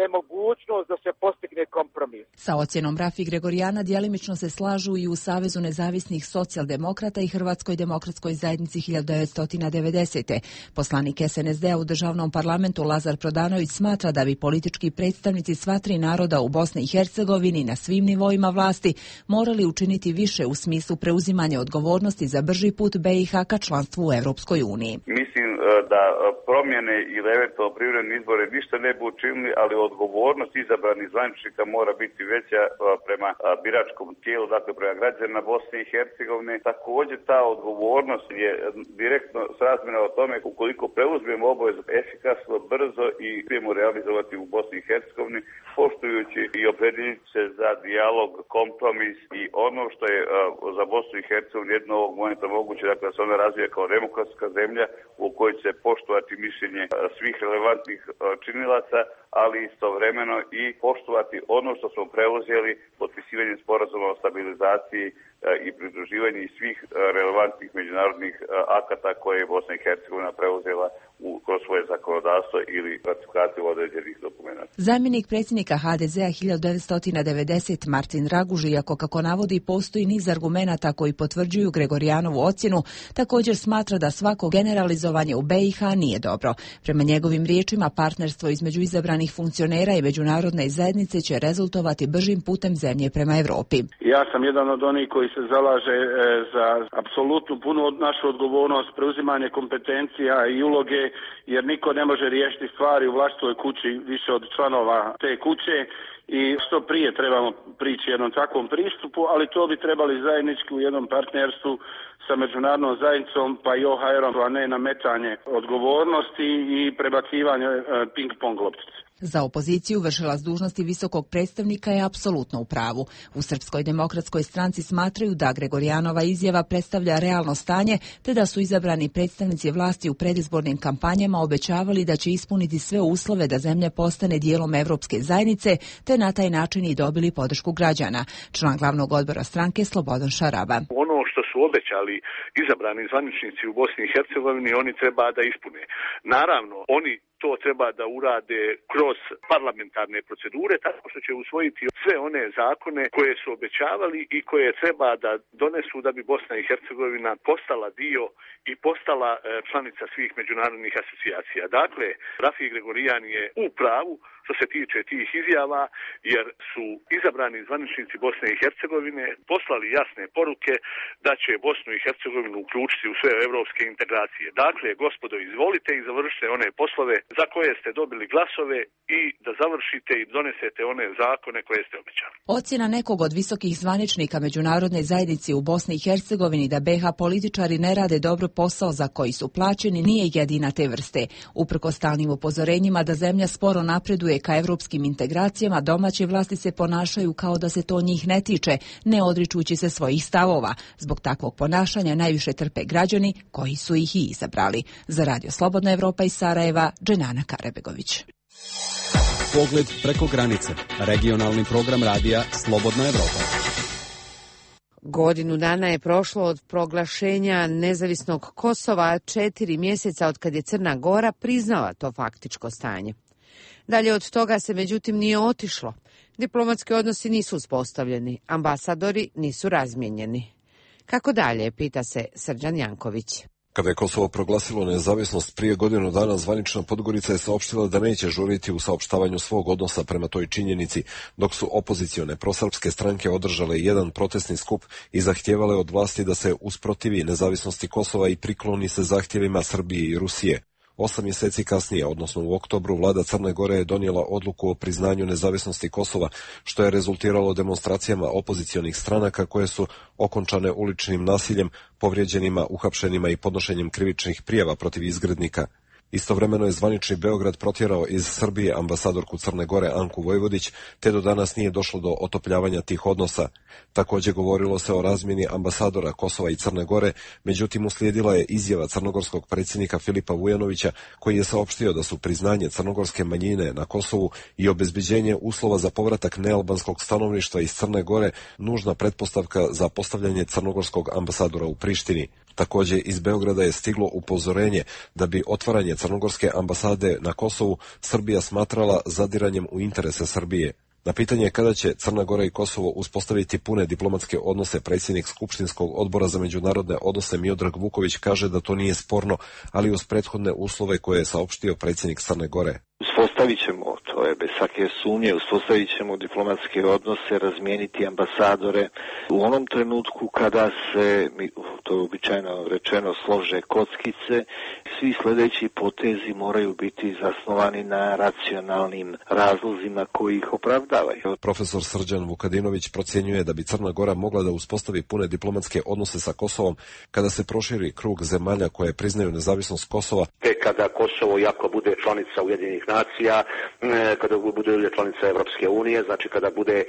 nemogućnost da se postigne kompromis. Sa ocjenom Rafi Gregorijana djelimično se slažu i u Savezu nezavisnih socijaldemokrata i Hrvatskoj demokratskoj zajednici 1990. Poslanik SNSD-a u državnom parlamentu Lazar Prodanović smatra da bi politički predstavnici sva 3 naroda u Bosni i Hercegovini na svim nivoima vlasti morali učiniti više u smislu preuzimanja odgovornosti za brži put BiH ka članstvu u Europskoj uniji. Mislim da promjene ili eventualno privremeni izbore ništa ne bi učinili, ali odgovornost izabranih zvaničnika mora biti veća prema biračkom tijelu, dakle prema građanima Bosne i Hercegovine. Također ta odgovornost je direktno srazmjerna o tome ukoliko preuzmemo obavezu efikasno, brzo i uspijemo realizovati u Bosni i Hercegovini, poštujući i opredjeljujući se za dijalog, kompromis i ono što je za Bosnu i Hercegovinu jedno ovog momenta moguće, dakle da se ona razvija kao demokratska zemlja u kojoj će poštovati mišljenje svih relevantnih činilaca, ali istovremeno i poštovati ono što smo preuzeli potpisivanjem sporazuma o stabilizaciji i pridruživanju svih relevantnih međunarodnih akata koje je Bosna i Hercegovina preuzela kroz svoje zakonodavstvo ili ratifikaciju određenih dokumenta. Zamjenik predsjednika HDZ-a 1990 Martin Raguž, iako kako navodi postoji niz argumenata koji potvrđuju Gregorijanovu ocjenu, također smatra da svako generalizovanje u BiH nije dobro. Prema njegovim riječima, partnerstvo između izabranih funkcionera i međunarodne zajednice će rezultovati bržim putem zemlje prema Europi. Ja sam jedan od onih koji se zalaže za apsolutnu punu našu odgovornost, preuzimanje kompetencija i uloge jer niko ne može riješiti stvari u vlastitoj kući više od članova te kuće i što prije trebamo prići jednom takvom pristupu, ali to bi trebali zajednički u jednom partnerstvu sa međunarodnom zajednicom pa i OHR-om, a ne nametanje odgovornosti i prebacivanje ping-pong loptice. Za opoziciju vršilac dužnosti visokog predstavnika je apsolutno u pravu. U Srpskoj demokratskoj stranci smatraju da Gregorijanova izjava predstavlja realno stanje, te da su izabrani predstavnici vlasti u predizbornim kampanjama obećavali da će ispuniti sve uslove da zemlja postane dijelom Evropske zajednice, te na taj način i dobili podršku građana. Član glavnog odbora stranke Slobodan Šaraba. Ono što su obećali izabrani zvaničnici u Bosni i Hercegovini, oni treba da ispune. Naravno, oni to treba da urade kroz parlamentarne procedure, tako što će usvojiti sve one zakone koje su obećavali i koje treba da donesu da bi Bosna i Hercegovina postala dio i postala članica svih međunarodnih asocijacija. Dakle, Rafi Gregorijan je u pravu što se tiče tih izjava, jer su izabrani zvaničnici Bosne i Hercegovine poslali jasne poruke da će Bosnu i Hercegovinu uključiti u sve evropske integracije. Dakle, gospodo, izvolite i završite one poslove za koje ste dobili glasove i da završite i donesete one zakone koje ste obećali. Ocjena nekog od visokih zvaničnika međunarodne zajednice u Bosni i Hercegovini da BiH političari ne rade dobro posao za koji su plaćeni nije jedina te vrste. Uprkos stalnim upozorenjima da zemlja sporo napreduje ka evropskim integracijama, domaće vlasti se ponašaju kao da se to njih ne tiče, ne odričući se svojih stavova. Zbog takvog ponašanja najviše trpe građani koji su ih i izabrali. Za Radio Slobodna Evropa iz Sarajeva, Dženana Karebegović. Pogled preko granice. Regionalni program radija Slobodna Evropa. Godinu dana je prošlo od proglašenja nezavisnog Kosova, 4 mjeseca od kad je Crna Gora priznala to faktičko stanje. Dalje od toga se međutim nije otišlo. Diplomatski odnosi nisu uspostavljeni, ambasadori nisu razmijenjeni. Kako dalje, pita se Srđan Janković. Kada je Kosovo proglasilo nezavisnost prije godinu dana, zvanična Podgorica je saopštila da neće žuriti u saopštavanju svog odnosa prema toj činjenici, dok su opozicione prosrpske stranke održale jedan protestni skup i zahtijevale od vlasti da se usprotivi nezavisnosti Kosova i prikloni se zahtjevima Srbije i Rusije. 8 mjeseci kasnije, odnosno u oktobru, vlada Crne Gore je donijela odluku o priznanju nezavisnosti Kosova, što je rezultiralo demonstracijama opozicionih stranaka koje su okončane uličnim nasiljem, povrijeđenima, uhapšenima i podnošenjem krivičnih prijava protiv izgrednika. Istovremeno je zvanični Beograd protjerao iz Srbije ambasadorku Crne Gore Anku Vojvodić, te do danas nije došlo do otopljavanja tih odnosa. Također govorilo se o razmjeni ambasadora Kosova i Crne Gore, međutim uslijedila je izjava crnogorskog predsjednika Filipa Vujanovića, koji je saopštio da su priznanje crnogorske manjine na Kosovu i obezbeđenje uslova za povratak nealbanskog stanovništva iz Crne Gore nužna pretpostavka za postavljanje crnogorskog ambasadora u Prištini. Također iz Beograda je stiglo upozorenje da bi otvaranje crnogorske ambasade na Kosovu Srbija smatrala zadiranjem u interese Srbije. Na pitanje kada će Crna Gora i Kosovo uspostaviti pune diplomatske odnose, predsjednik Skupštinskog odbora za međunarodne odnose Miodrag Vuković kaže da to nije sporno, ali uz prethodne uslove koje je saopštio predsjednik Crne Gore. Uspostavit ćemo, to je bez svake sumnje, uspostavit ćemo diplomatske odnose, razmijeniti ambasadore u onom trenutku kada se, to je običajno rečeno, slože kockice. Svi sljedeći potezi moraju biti zasnovani na racionalnim razlozima koji ih opravdavaju. Profesor Srđan Vukadinović procjenjuje da bi Crna Gora mogla da uspostavi pune diplomatske odnose sa Kosovom kada se proširi krug zemalja koje priznaju nezavisnost Kosova. Kada Kosovo jako bude članica Ujedinjenih nacija, kada bude članica Evropske unije, znači kada bude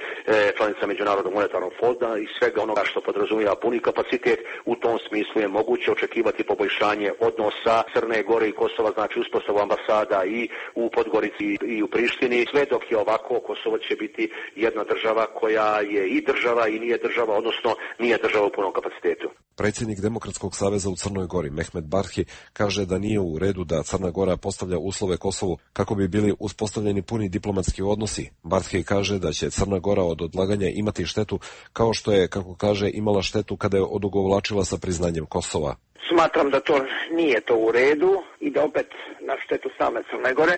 članica Međunarodnog monetarnog fonda i svega onoga što podrazumijeva puni kapacitet, u tom smislu je moguće očekivati poboljšanje odnosa Crne Gore i Kosova, znači uspostavu ambasada i u Podgorici i u Prištini. Sve dok je ovako, Kosovo će biti jedna država koja je i država i nije država, odnosno nije država u punom kapacitetu. Predsjednik Demokratskog saveza u Crnoj Gori, Mehmet Barhi, kaže da nije u redu da Crna Gora postavlja uslove Kosovu kako bi bili uspostavljeni puni diplomatski odnosi. Barhi kaže da će Crna Gora od odlaganja imati štetu kao što je, kako kaže, imala štetu kada je odugovlačila sa priznanjem Kosova. Smatram da to nije to u redu i da opet na štetu same Crne Gore,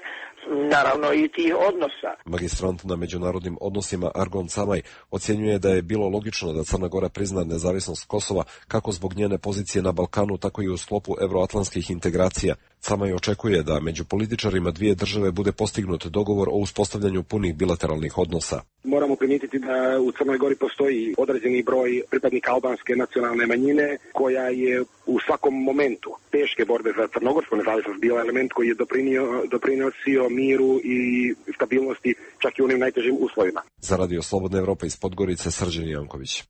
naravno i tih odnosa. Magistrant na međunarodnim odnosima Argon Camaj ocjenjuje da je bilo logično da Crna Gora prizna nezavisnost Kosova kako zbog njene pozicije na Balkanu, tako i u sklopu evroatlantskih integracija. Camaj očekuje da među političarima dvije države bude postignut dogovor o uspostavljanju punih bilateralnih odnosa. Moramo primijetiti da u Crnoj Gori postoji određeni broj pripadnika albanske nacionalne manjine koja je u svakom momentu teške borbe za crnogorsku nezavisnost bila element koji je doprinosio miru i stabilnosti čak i u onim najtežim uslovima. Za Radio Slobodna Evropa iz Podgorice, Srđan Janković.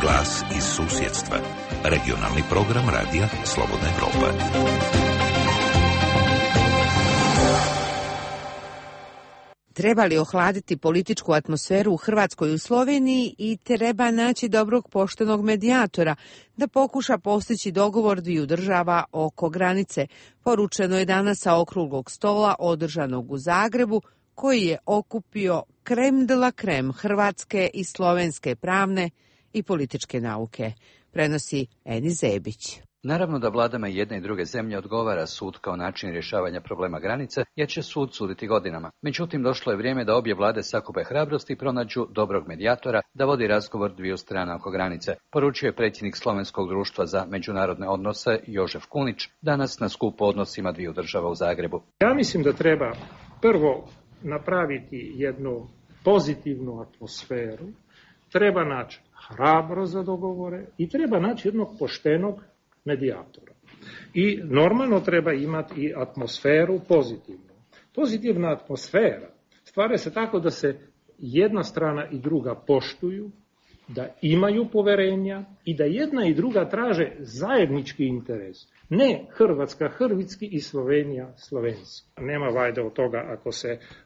Glas iz susjedstva. Regionalni program Radija Slobodna Evropa. Treba li ohladiti političku atmosferu u Hrvatskoj i u Sloveniji i treba naći dobrog poštenog medijatora da pokuša postići dogovor dviju država oko granice, poručeno je danas sa okruglog stola održanog u Zagrebu, koji je okupio krem de la krem hrvatske i slovenske pravne i političke nauke, prenosi Eni Zebić. Naravno da vladama jedne i druge zemlje odgovara sud kao način rješavanja problema granice, jer će sud suditi godinama. Međutim, došlo je vrijeme da obje vlade sakupe hrabrost i pronađu dobrog medijatora da vodi razgovor dviju strana oko granice, poručio je predsjednik Slovenskog društva za međunarodne odnose Jožef Kunić danas na skupu odnosima dviju država u Zagrebu. Ja mislim da treba prvo napraviti jednu pozitivnu atmosferu, treba naći hrabro za dogovore i treba naći jednog poštenog medijatora. I normalno treba imati i atmosferu pozitivnu. Pozitivna atmosfera stvara se tako da se jedna strana i druga poštuju, da imaju poverenja i da jedna i druga traže zajednički interes. Ne Hrvatska hrvatski i Slovenija slovenski. Nema vajde od toga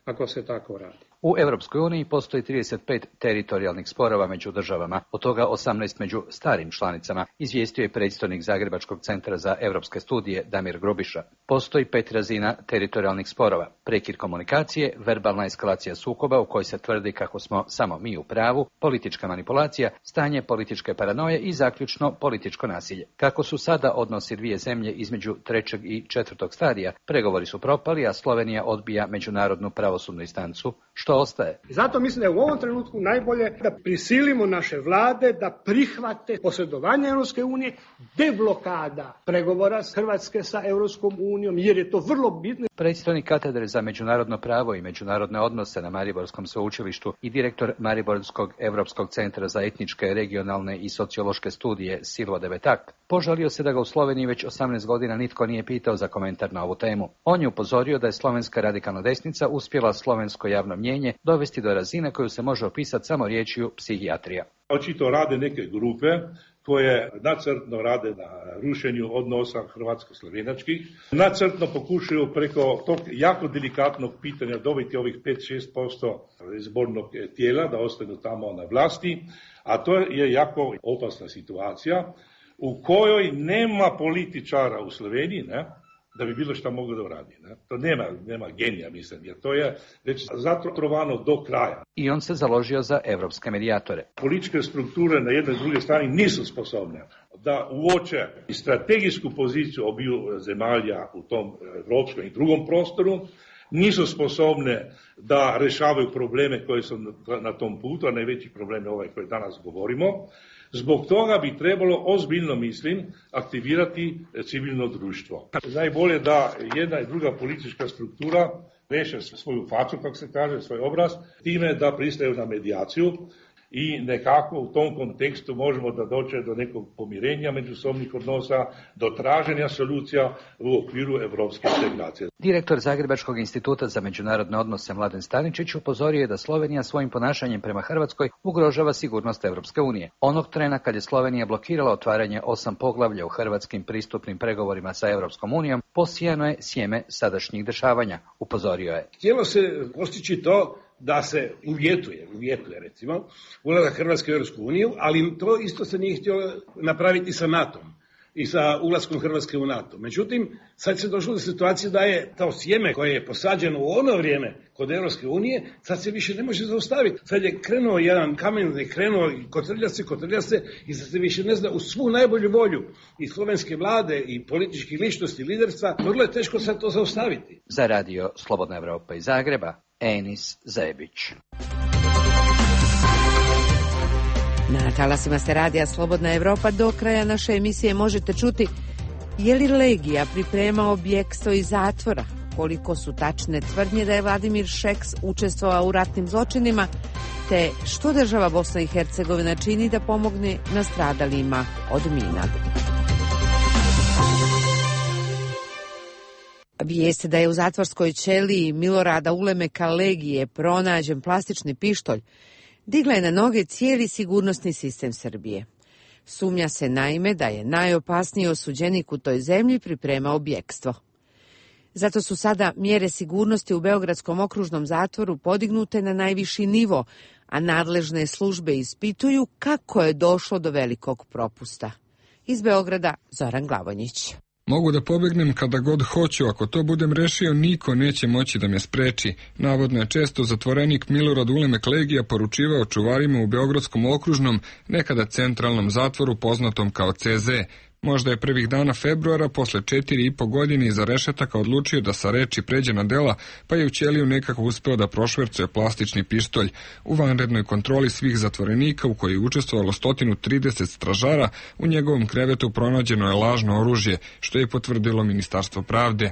ako se tako radi. U Europskoj uniji postoji 35 teritorijalnih sporova među državama, od toga 18 među starim članicama, izvijestio je predstojnik Zagrebačkog centra za europske studije Damir Grubiša. Postoji 5 razina teritorijalnih sporova: prekid komunikacije, verbalna eskalacija sukoba u kojoj se tvrdi kako smo samo mi u pravu, politička manipulacija, stanje političke paranoje i zaključno političko nasilje. Kako su sada odnosi dvije zemlje između 3. i 4. stadija, pregovori su propali, a Slovenija odbija međunarodnu pravosudnu instancu. Što ostaje? Zato mislim da je u ovom trenutku najbolje da prisilimo naše vlade da prihvate posredovanje Europske unije, deblokada pregovora Hrvatske sa Europskom unijom, jer je to vrlo bitno. Predstojnik katedre za međunarodno pravo i međunarodne odnose na Mariborskom sveučilištu i direktor Mariborskog Europskog centra za etničke, regionalne i sociološke studije Silvo Debetak požalio se da ga u Sloveniji već 18 godina nitko nije pitao za komentar na ovu temu. On je upozorio da je slovenska radikalna desnica uspjela slovensko javno mnjenje dovesti do razine koju se može opisati samo riječju psihijatrija. Očito rade neke grupe koje nacrtno rade na rušenju odnosa hrvatsko-slovenačkih, nacrtno pokušaju preko tog jako delikatnog pitanja dobiti ovih 5-6% izbornog tijela da ostanu tamo na vlasti, a to je jako opasna situacija u kojoj nema političara u Sloveniji, ne, da bi bilo što moglo da uradi. Ne? To nema genija, mislim, jer to je već zatrovano do kraja. I on se založio za evropske medijatore. Političke strukture na jednoj i drugoj strani nisu sposobne da uoče i strategijsku poziciju obiju zemalja u tom evropskom i drugom prostoru, nisu sposobne da rešavaju probleme koje su na tom putu, a najveći problem je ovaj koji danas govorimo. Zbog toga bi trebalo, ozbiljno mislim, aktivirati civilno društvo. Najbolje da jedna i druga politička struktura reše svoju facu, kako se kaže, svoj obraz, time da pristaju na medijaciju i nekako u tom kontekstu možemo da dođe do nekog pomirenja međusobnih odnosa, do traženja solucija u okviru evropske integracije. Direktor Zagrebačkog instituta za međunarodne odnose Mladen Staničić upozorio je da Slovenija svojim ponašanjem prema Hrvatskoj ugrožava sigurnost Evropske unije. Onog trena kad je Slovenija blokirala otvaranje 8 poglavlja u hrvatskim pristupnim pregovorima sa Evropskom unijom, posijano je sjeme sadašnjih dešavanja, upozorio je. Htjelo se postići to da se uvjetuje recimo ulazak Hrvatske u Europsku uniju, ali to isto se nije htjelo napraviti sa NATO-om. i sa ulaskom Hrvatske u NATO. Međutim, sad se došlo do situacije da je to sjeme koje je posađeno u ono vrijeme kod Europske unije, sad se više ne može zaustaviti. Sad je krenuo jedan kamen, krenuo i kotrlja se i sad se više ne zna uz svu najbolju volju i slovenske vlade i političkih ličnosti, liderstva, vrlo je teško sad to zaustaviti. Za radio Slobodna Evropa iz Zagreba, Enis Zebić. Na talasima se radija Slobodna Evropa. Do kraja naše emisije možete čuti je li Legija pripremao bjegstvo iz zatvora, koliko su tačne tvrdnje da je Vladimir Šeks učestvovao u ratnim zločinima, te što država Bosna i Hercegovina čini da pomogne nastradalima od mina. Vijeste da je u zatvorskoj ćeliji Milorada Ulemeka Legije pronađen plastični pištolj digla je na noge cijeli sigurnosni sistem Srbije. Sumnja se naime da je najopasniji osuđenik u toj zemlji pripremao bjegstvo. Zato su sada mjere sigurnosti u Beogradskom okružnom zatvoru podignute na najviši nivo, a nadležne službe ispituju kako je došlo do velikog propusta. Iz Beograda Zoran Glavonjić. Mogu da pobegnem kada god hoću, ako to budem rešio, niko neće moći da me spreči. Navodno je često zatvorenik Milorad Ulemek Legija poručivao čuvarima u Beogradskom okružnom, nekada centralnom zatvoru poznatom kao CZ. Možda je prvih dana februara, posle 4,5 godine iza rešetaka odlučio da sa reči pređe na dela, pa je u ćeliju nekako uspeo da prošvercuje plastični pištolj. U vanrednoj kontroli svih zatvorenika, u kojoj je učestvovalo 130 stražara, u njegovom krevetu pronađeno je lažno oružje, što je potvrdilo Ministarstvo pravde.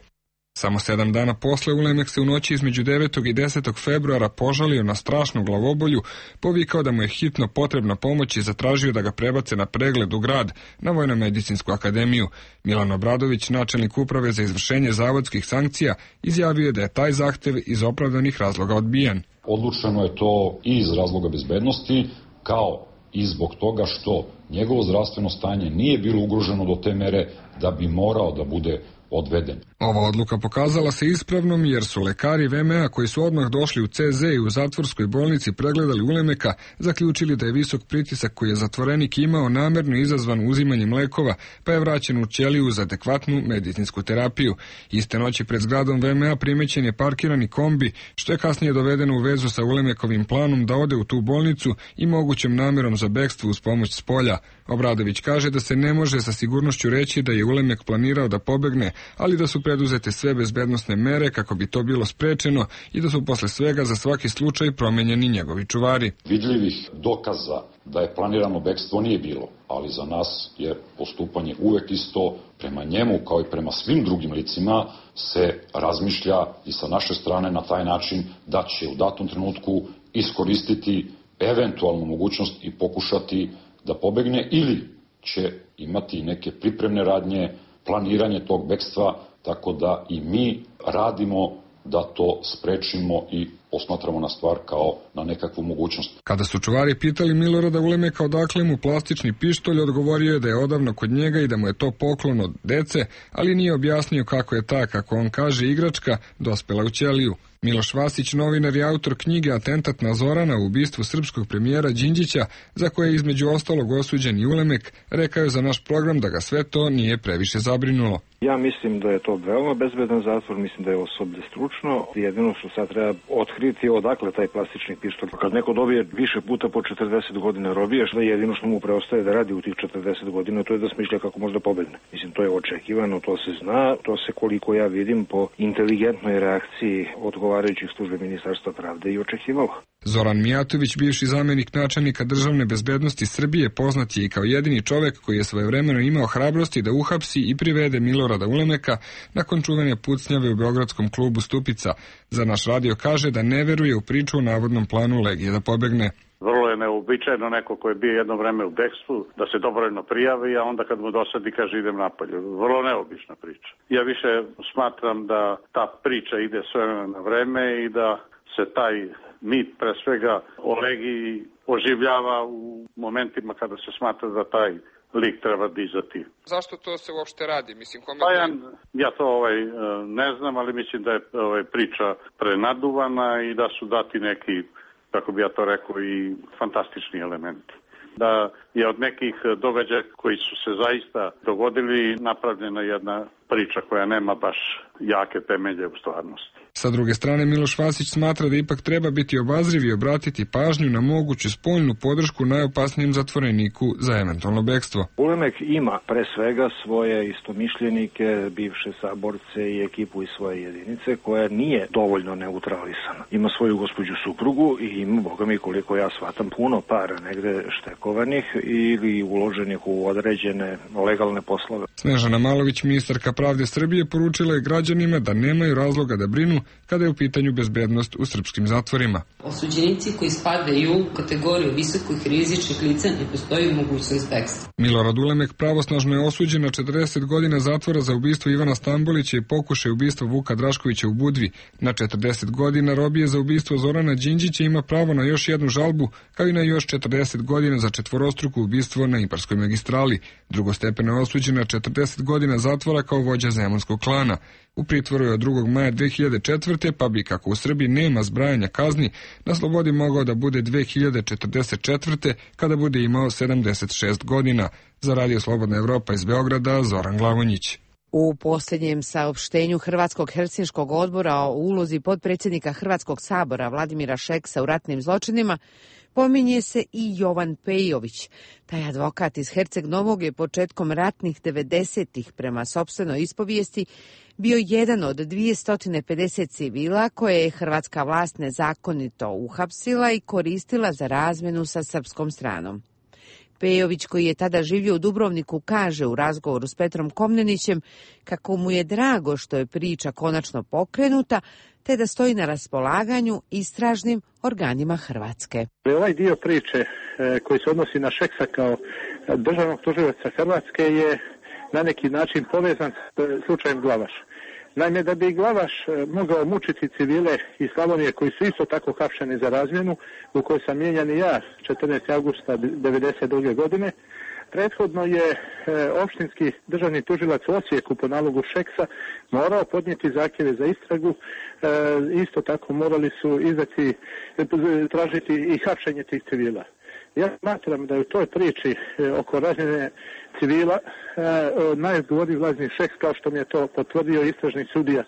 Samo 7 dana posle Ulemek se u noći između 9. i 10. februara požalio na strašnu glavobolju, povikao da mu je hitno potrebna pomoć i zatražio da ga prebace na pregled u grad, na Vojno-medicinsku akademiju. Milan Obradović, načelnik uprave za izvršenje zavodskih sankcija, izjavio je da je taj zahtev iz opravdanih razloga odbijen. Odlučeno je to i iz razloga bezbednosti, kao i zbog toga što njegovo zdravstveno stanje nije bilo ugroženo do te mere da bi morao da bude odveden. Ova odluka pokazala se ispravnom jer su lekari VMA koji su odmah došli u CZ i u zatvorskoj bolnici pregledali Ulemeka, zaključili da je visok pritisak koji je zatvorenik imao namerno izazvan uzimanjem lekova, pa je vraćen u ćeliju za adekvatnu medicinsku terapiju. Iste noći pred zgradom VMA primećen je parkirani kombi, što je kasnije dovedeno u vezu sa Ulemekovim planom da ode u tu bolnicu i mogućom namerom za bekstvo uz pomoć spolja. Obradović kaže da se ne može sa sigurnošću reći da je Ulemek planirao da pobegne, ali da su preduzete sve bezbednosne mere kako bi to bilo sprečeno i da su posle svega za svaki slučaj promenjeni njegovi čuvari. Vidljivih dokaza da je planirano bekstvo nije bilo, ali za nas je postupanje uvek isto. Prema njemu, kao i prema svim drugim licima, se razmišlja i sa naše strane na taj način da će u datom trenutku iskoristiti eventualnu mogućnost i pokušati da pobegne ili će imati neke pripremne radnje, planiranje tog bekstva, tako da i mi radimo da to sprečimo i posmatramo na stvar kao na nekakvu mogućnost. Kada su čuvari pitali Milorada Ulemeka odakle mu plastični pištolj, odgovorio je da je odavno kod njega i da mu je to poklon od dece, ali nije objasnio kako je ta, kako on kaže, igračka dospela u ćeliju. Miloš Vasić, novinar i autor knjige Atentat na Zorana u ubistvu srpskog premijera Đinđića, za koje je između ostalog osuđen i Ulemek, rekao je za naš program da ga sve to nije previše zabrinulo. Ja mislim da je to veoma bezbedan zatvor, mislim da je osoblje stručno. Jedino što sad treba otkriti odakle taj plastični pištolj. Kad neko dobije više puta po 40 godina robije, što jedino što mu preostaje da radi u tih 40 godina, to je da smišlja kako može da pobegne. Mislim, to je očekivano, to se zna, to se koliko ja vidim po inteligentnoj reakciji odgovarajućih službe Ministarstva pravde i očekivalo. Zoran Mijatović, bivši zamenik načelnika državne bezbednosti Srbije, poznat je i kao jedini čovek koji je svojevremeno imao hrabrosti da uhapsi i privede Milorada Ulemeka nakon čuvene pucnjave u beogradskom klubu Stupica. Za naš radio kaže da ne veruje u priču o navodnom planu Legije da pobegne. Vrlo je neobičajno neko ko je bio jedno vreme u bekstvu da se dobrovoljno prijavi, a onda kad mu dosadi kaže idem napolje. Vrlo neobična priča. Ja više smatram da ta priča ide sve na vreme i da se taj mit pre svega o Legiji oživljava u momentima kada se smatra da taj lik treba dizati. Zašto to se uopšte radi? Mislim, pa ja to ne znam, ali mislim da je priča prenaduvana i da su dati neki, kako bi ja to rekao, i fantastični elementi. da je od nekih događaja koji su se zaista dogodili napravljena jedna priča koja nema baš jake temelje u stvarnosti. Sa druge strane, Miloš Vasić smatra da ipak treba biti obazriv i obratiti pažnju na moguću spoljnu podršku najopasnijem zatvoreniku za eventualno bekstvo. Ulemek ima pre svega svoje istomišljenike, bivše saborce i ekipu iz svoje jedinice koja nije dovoljno neutralisana. Ima svoju gospođu suprugu i ima, boga mi, koliko ja shvatam, puno para negde štekovanih ili uloženih u određene legalne poslove. Snežana Malović, ministarka pravde Srbije, poručila je građanima da nemaju razloga da brinu kada je u pitanju bezbednost u srpskim zatvorima. Osuđenici koji spadaju u kategoriju visokih rizičnih lica ne postoji mogućnost bekstva. Milorad Ulemek pravosnažno je osuđen na 40 godina zatvora za ubistvo Ivana Stambolića i pokušaj ubistva Vuka Draškovića u Budvi. Na 40 godina robije za ubistvo Zorana Đinđića ima pravo na još jednu žalbu, kao i na još 40 godina za četvorostruko ubistvo na Ibarskoj magistrali. Drugostepeno je osuđen na 40 godina zatvora kao vođa zemunskog klana. U pritvoru je od 2. maja 2004. pa bi, kako u Srbiji nema zbrajanja kazni, na slobodi mogao da bude 2044. kada bude imao 76 godina. Za Radio Slobodna Evropa iz Beograda, Zoran Glavonjić. U posljednjem saopštenju Hrvatskog helsinškog odbora o ulozi potpredsjednika Hrvatskog sabora Vladimira Šeksa u ratnim zločinima pominje se i Jovan Pejović. Taj advokat iz Herceg Novog je početkom ratnih 90-ih prema sopstvenoj ispovijesti bio jedan od 250 civila koje je hrvatska vlast nezakonito uhapsila i koristila za razmjenu sa srpskom stranom. Pejović, koji je tada živio u Dubrovniku, kaže u razgovoru s Petrom Komnenićem kako mu je drago što je priča konačno pokrenuta, te da stoji na raspolaganju istražnim organima Hrvatske. Ovaj dio priče koji se odnosi na Šeksa kao državnog tužioca Hrvatske je na neki način povezan s slučajem Glavaš. Naime, da bi Glavaš mogao mučiti civile iz Slavonije koji su isto tako hapšeni za razmjenu, u kojoj sam mijenjan i ja 14. augusta 1992. godine, prethodno je opštinski državni tužilac u Osijeku po nalogu Šeksa morao podnijeti zahtjeve za istragu, isto tako morali su tražiti i hapšenje tih civila. Ja smatram da je u toj priči oko razmjene civila najodgovorniji Vladimir Šeks, kao što mi je to potvrdio istražni sudija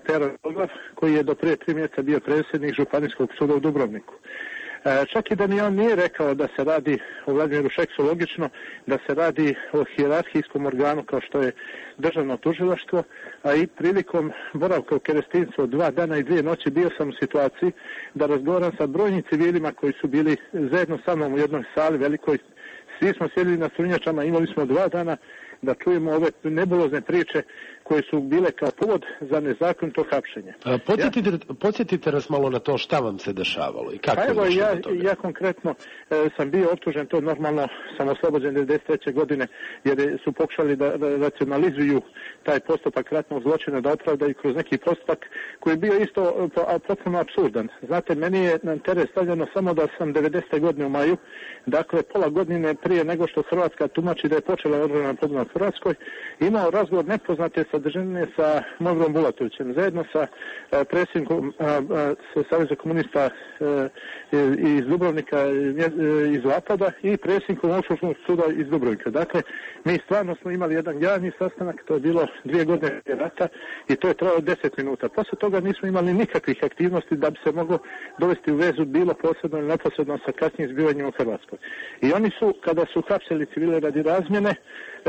Pero Oglav, koji je do prije 3 mjeseca bio predsjednik Županijskog suda u Dubrovniku. Čak i da mi on nije rekao da se radi o Vladimiru Šeksu, logično da se radi o hijerarhijskom organu kao što je državno tužilaštvo, a i prilikom boravka u Kerestincu od 2 dana i 2 noći bio sam u situaciji da razgovaram sa brojnim civilima koji su bili zajedno sa mnom u jednoj sali velikoj. Svi smo sjedili na strunjačama, imali smo 2 dana da čujemo ove nebulozne priče koje su bile kao povod za nezakonito hapšenje. Podsjetite nas malo na to šta vam se dešavalo i kako je došlo do toga. Ja konkretno sam bio optužen, to normalno sam oslobođen 1993. godine, jer su pokušali da racionalizuju taj postupak ratnog zločina, da opravdaju kroz neki postupak koji je bio isto potpuno apsurdan. Znate, meni je na teret stavljeno samo da sam 90. godine u maju, dakle pola godine prije nego što Hrvatska tumači da je počela odbrana podmorna Hrvatskoj, imao razgovor nepoznate sadržine sa Mogrom Bulatovićem, zajedno sa predsjednikom Saveza komunista iz Dubrovnika, iz Zapada i predsjednikom Okružnog suda iz Dubrovnika. Dakle, mi stvarno smo imali jedan javni sastanak, to je bilo 2 godine rata i to je trajalo 10 minuta. Posle toga nismo imali nikakvih aktivnosti da bi se moglo dovesti u vezu bilo posredno ili neposredno sa kasnijim zbivanjima u Hrvatskoj. I oni su, kada su hapsili civile radi razmjene,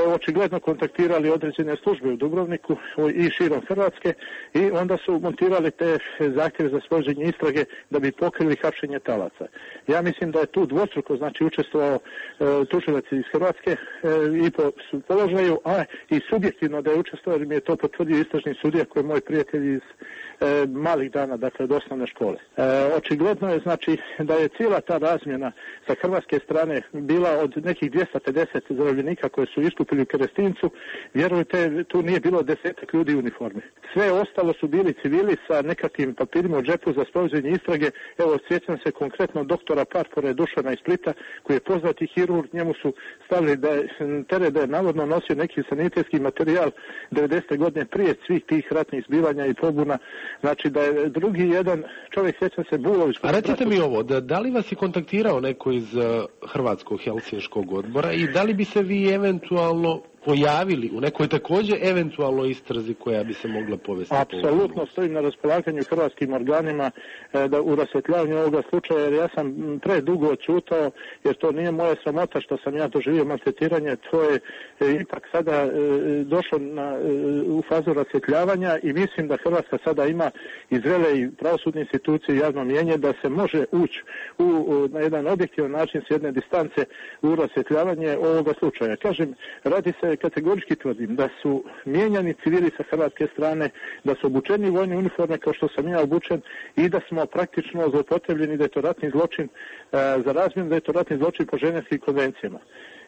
očigledno kontaktirali određene službe u Dubrovniku i širom Hrvatske i onda su montirali te zahtjeve za sprovođenje istrage da bi pokrili hapšenje talaca. Ja mislim da je tu dvostruko učestvovao tužilac iz Hrvatske i po položaju, a i subjektivno da je učestvovao, jer mi je to potvrdio istražni sudija koji je moj prijatelj iz malih dana, dakle od osnovne škole. Očigledno je da je cijela ta razmjena sa hrvatske strane bila od nekih 250 zarobljenika koje su iskupili u Kerestincu. Vjerujte, tu nije bilo 10 ljudi u uniformi. Sve ostalo su bili civili sa nekakvim papirima u džepu za sprovođenje istrage. Evo, sjećam se konkretno doktora Parpore Dušana iz Splita, koji je poznati hirurg, njemu su stavili da je navodno nosio neki sanitetski materijal 90. godine prije svih tih ratnih zbivanja i pobuna. Znači da je drugi jedan čovjek, sjećam se, Bulović. A recite mi ovo, da li vas je kontaktirao neko iz Hrvatskog Helsinškog odbora i da li bi se vi eventualno pojavili u nekoj također eventualno istrazi koja bi se mogla povesti? Apsolutno stojim na raspolaganju hrvatskim organima da u rasvjetljavanju ovoga slučaja, jer ja sam predugo odćutao, jer to nije moja sramota što sam ja doživio maltretiranje, to je ipak sada došlo u fazu rasvjetljavanja i mislim da Hrvatska sada ima i zrele i pravosudne institucije i javno mnijenje da se može ući na jedan objektivan način s jedne distance u rasvjetljavanje ovoga slučaja. Kažem, radi se, kategorički tvrdim, da su mijenjani civili sa hrvatske strane, da su obučeni vojne uniforme kao što sam ja obučen i da smo praktično zloupotrebljeni, da je to ratni zločin za razmjenu, da je to ratni zločin po ženevskim konvencijama.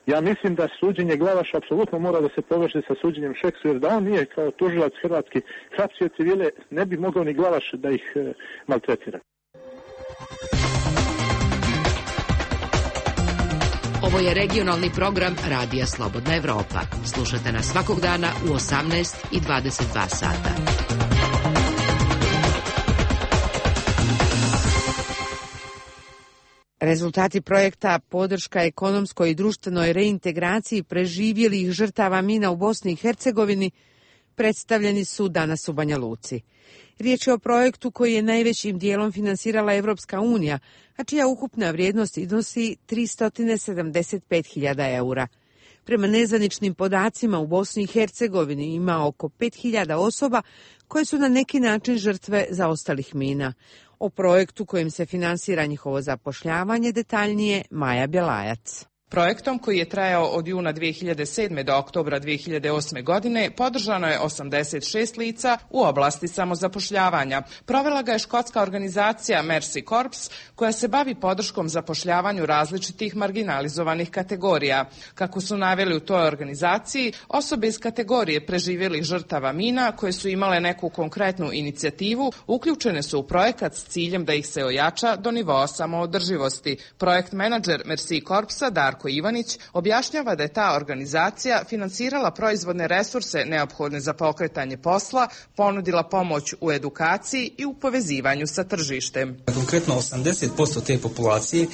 Ja mislim da suđenje Glavaša apsolutno mora da se poveže sa suđenjem Šeksu, jer da on nije kao tužilac hrvatski hapsio civile, ne bi mogao ni Glavaš da ih maltretira. Ovo je regionalni program Radija Slobodna Evropa. Slušate nas svakog dana u 18 i 22 sata. Rezultati projekta podrška ekonomskoj i društvenoj reintegraciji preživjelih žrtava mina u Bosni i Hercegovini predstavljeni su danas u Banja Luci. Riječ je o projektu koji je najvećim dijelom finansirala Evropska unija, a čija ukupna vrijednost iznosi 375.000 eura. Prema nezvaničnim podacima u Bosni i Hercegovini ima oko 5.000 osoba koje su na neki način žrtve zaostalih mina. O projektu kojim se finansira njihovo zapošljavanje detaljnije Maja Bjelajac. Projektom koji je trajao od juna 2007. do oktobra 2008. godine podržano je 86 lica u oblasti samozapošljavanja. Provela ga je škotska organizacija Mercy Corps koja se bavi podrškom zapošljavanju različitih marginalizovanih kategorija. Kako su naveli u toj organizaciji, osobe iz kategorije preživjelih žrtava mina koje su imale neku konkretnu inicijativu uključene su u projekat s ciljem da ih se ojača do nivoa samoodrživosti. Projekt menadžer Mercy Corpsa Darko Ivanić objašnjava da je ta organizacija finansirala proizvodne resurse neophodne za pokretanje posla, ponudila pomoć u edukaciji i u povezivanju sa tržištem. Konkretno 80% te populacije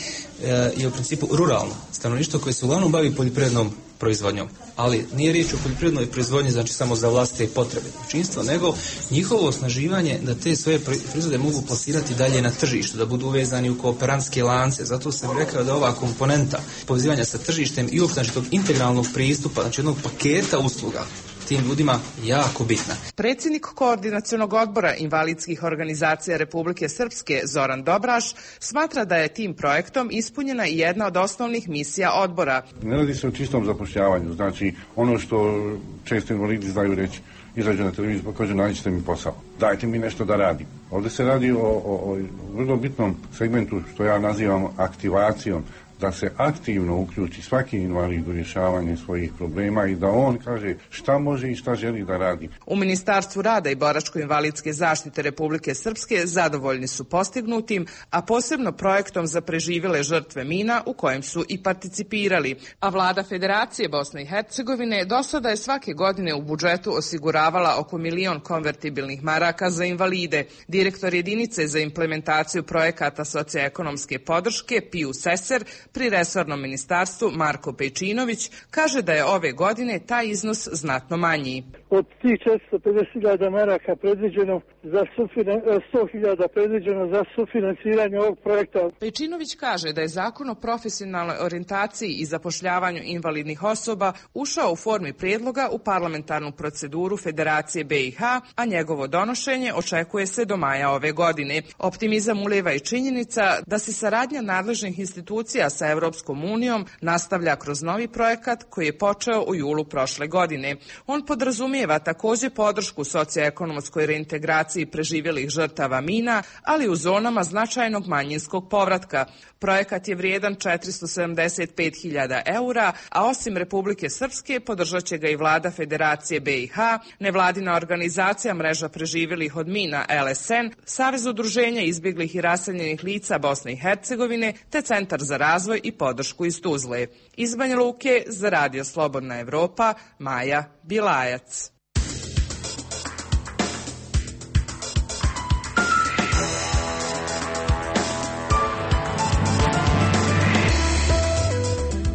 je u principu ruralno stanovništvo koje se uglavnom bavi poljoprivrednom proizvodnjom, ali nije riječ o poljoprivrednoj proizvodnji znači samo za vlastite potrebe domaćinstva, nego njihovo osnaživanje da te svoje proizvode mogu plasirati dalje na tržištu, da budu uvezani u kooperantske lance. Zato sam rekao da ova komponenta povezivanja sa tržištem i uopšte tog integralnog pristupa, znači jednog paketa usluga tim ljudima jako bitna. Predsjednik Koordinacionog odbora invalidskih organizacija Republike Srpske Zoran Dobraš smatra da je tim projektom ispunjena i jedna od osnovnih misija odbora. Ne radi se o čistom zapošljavanju, znači ono što često invalidi znaju reći, izađu na televiziju pa kažu nađite mi posao, dajte mi nešto da radim. Ovdje se radi o vrlo bitnom segmentu što ja nazivam aktivacijom, da se aktivno uključi svaki invalid u rješavanje svojih problema i da on kaže šta može i šta želi da radi. U Ministarstvu rada i boračko-invalidske zaštite Republike Srpske zadovoljni su postignutim, a posebno projektom za preživjele žrtve mina u kojem su i participirali. A vlada Federacije Bosne i Hercegovine do sada je svake godine u budžetu osiguravala oko 1 milion konvertibilnih maraka za invalide. Direktor jedinice za implementaciju projekata socioekonomske podrške Piju Seser pri resornom ministarstvu Marko Pejčinović kaže da je ove godine taj iznos znatno manji. Od tih 450.000 maraka predviđeno za 100.000 predviđeno za sufinansiranje ovog projekta. Pejčinović kaže da je zakon o profesionalnoj orijentaciji i zapošljavanju invalidnih osoba ušao u formi prijedloga u parlamentarnu proceduru Federacije BiH, a njegovo donošenje očekuje se do maja ove godine. Optimizam ulijeva i činjenica da se saradnja nadležnih institucija sa Evropskom unijom nastavlja kroz novi projekat koji je počeo u julu prošle godine. On podrazumijeva također podršku socioekonomskoj reintegraciji populaciji preživjelih žrtava mina, ali u zonama značajnog manjinskog povratka. Projekat je vrijedan 475.000 eura, a osim Republike Srpske podržat će ga i vlada Federacije BiH, nevladina organizacija Mreža preživjelih od mina LSN, Savez udruženja izbjeglih i raseljenih lica Bosne i Hercegovine, te Centar za razvoj i podršku iz Tuzle. Iz Banja Luke za Radio Slobodna Evropa, Maja Bilajac.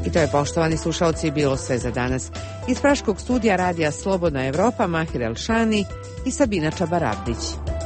I to je, poštovani slušalci, bilo sve za danas. Iz praškog studija Radija Slobodna Evropa, Mahir Elšani i Sabina Čabarabdić.